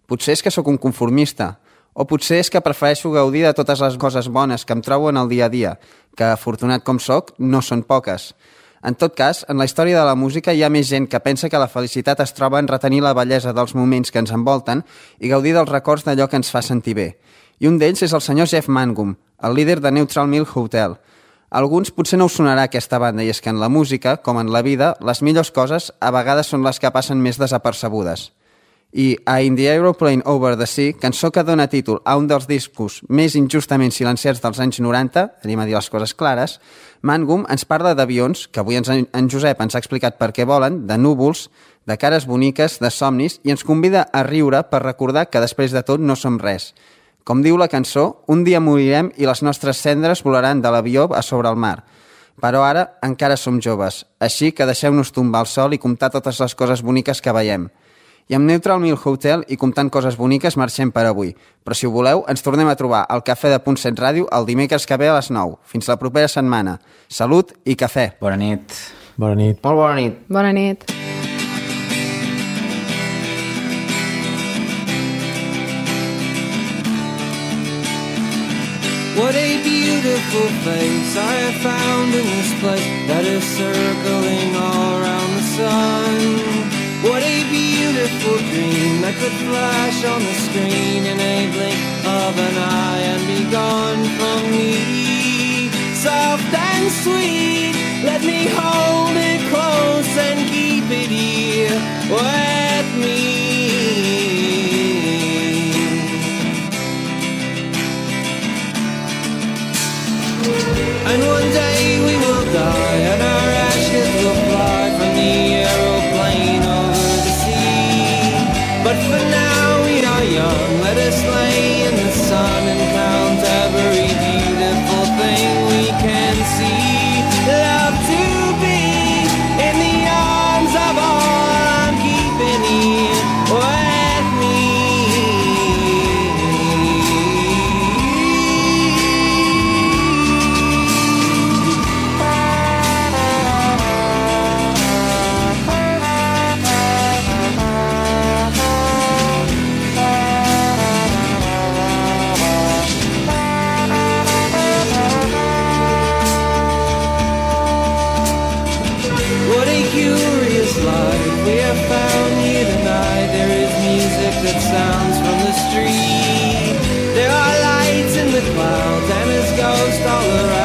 Potser és que sóc un conformista. O potser és que prefereixo gaudir de totes les coses bones que em trobo en el dia a dia, que, afortunat com sóc, no són poques. En tot cas, en la història de la música hi ha més gent que pensa que la felicitat es troba en retenir la bellesa dels moments que ens envolten i gaudir dels records d'allò que ens fa sentir bé. I un d'ells és el senyor Jeff Mangum, el líder de Neutral Milk Hotel. A alguns potser no us sonarà aquesta banda, i és que en la música, com en la vida, les millors coses a vegades són les que passen més desapercebudes. I a In the Aeroplane Over the Sea, cançó que dona títol a un dels discos més injustament silenciats dels anys 90, anem a dir les coses clares, Mangum ens parla d'avions, que avui en Josep ens ha explicat per què volen, de núvols, de cares boniques, de somnis, i ens convida a riure per recordar que després de tot no som res. Com diu la cançó, un dia morirem i les nostres cendres volaran de l'avió a sobre el mar. Però ara encara som joves, així que deixeu-nos tombar al sol i comptar totes les coses boniques que veiem. I amb Neutral Milk Hotel i comptant coses boniques marxem per avui. Però si ho voleu, ens tornem a trobar al Cafè de Punt 7 Ràdio el dimecres que ve a les 9. Fins la propera setmana. Salut i cafè. Bona nit. Bona nit. Molt bona nit. Bona nit. What a beautiful face I have found in this place that is circling all around the sun. What a beautiful dream that could flash on the screen in a blink of an eye and be gone from me. Soft and sweet, let me hold it close and keep it here with me. And one day we will die and our ashes will fly from the aeroplane over the sea. But for now we are young, let us lay in the sun and count every beautiful thing we can see. Love to be in the arms of all I'm keeping here with me. We have found here tonight. There is music that sounds from the street. There are lights in the clouds and his ghost all around.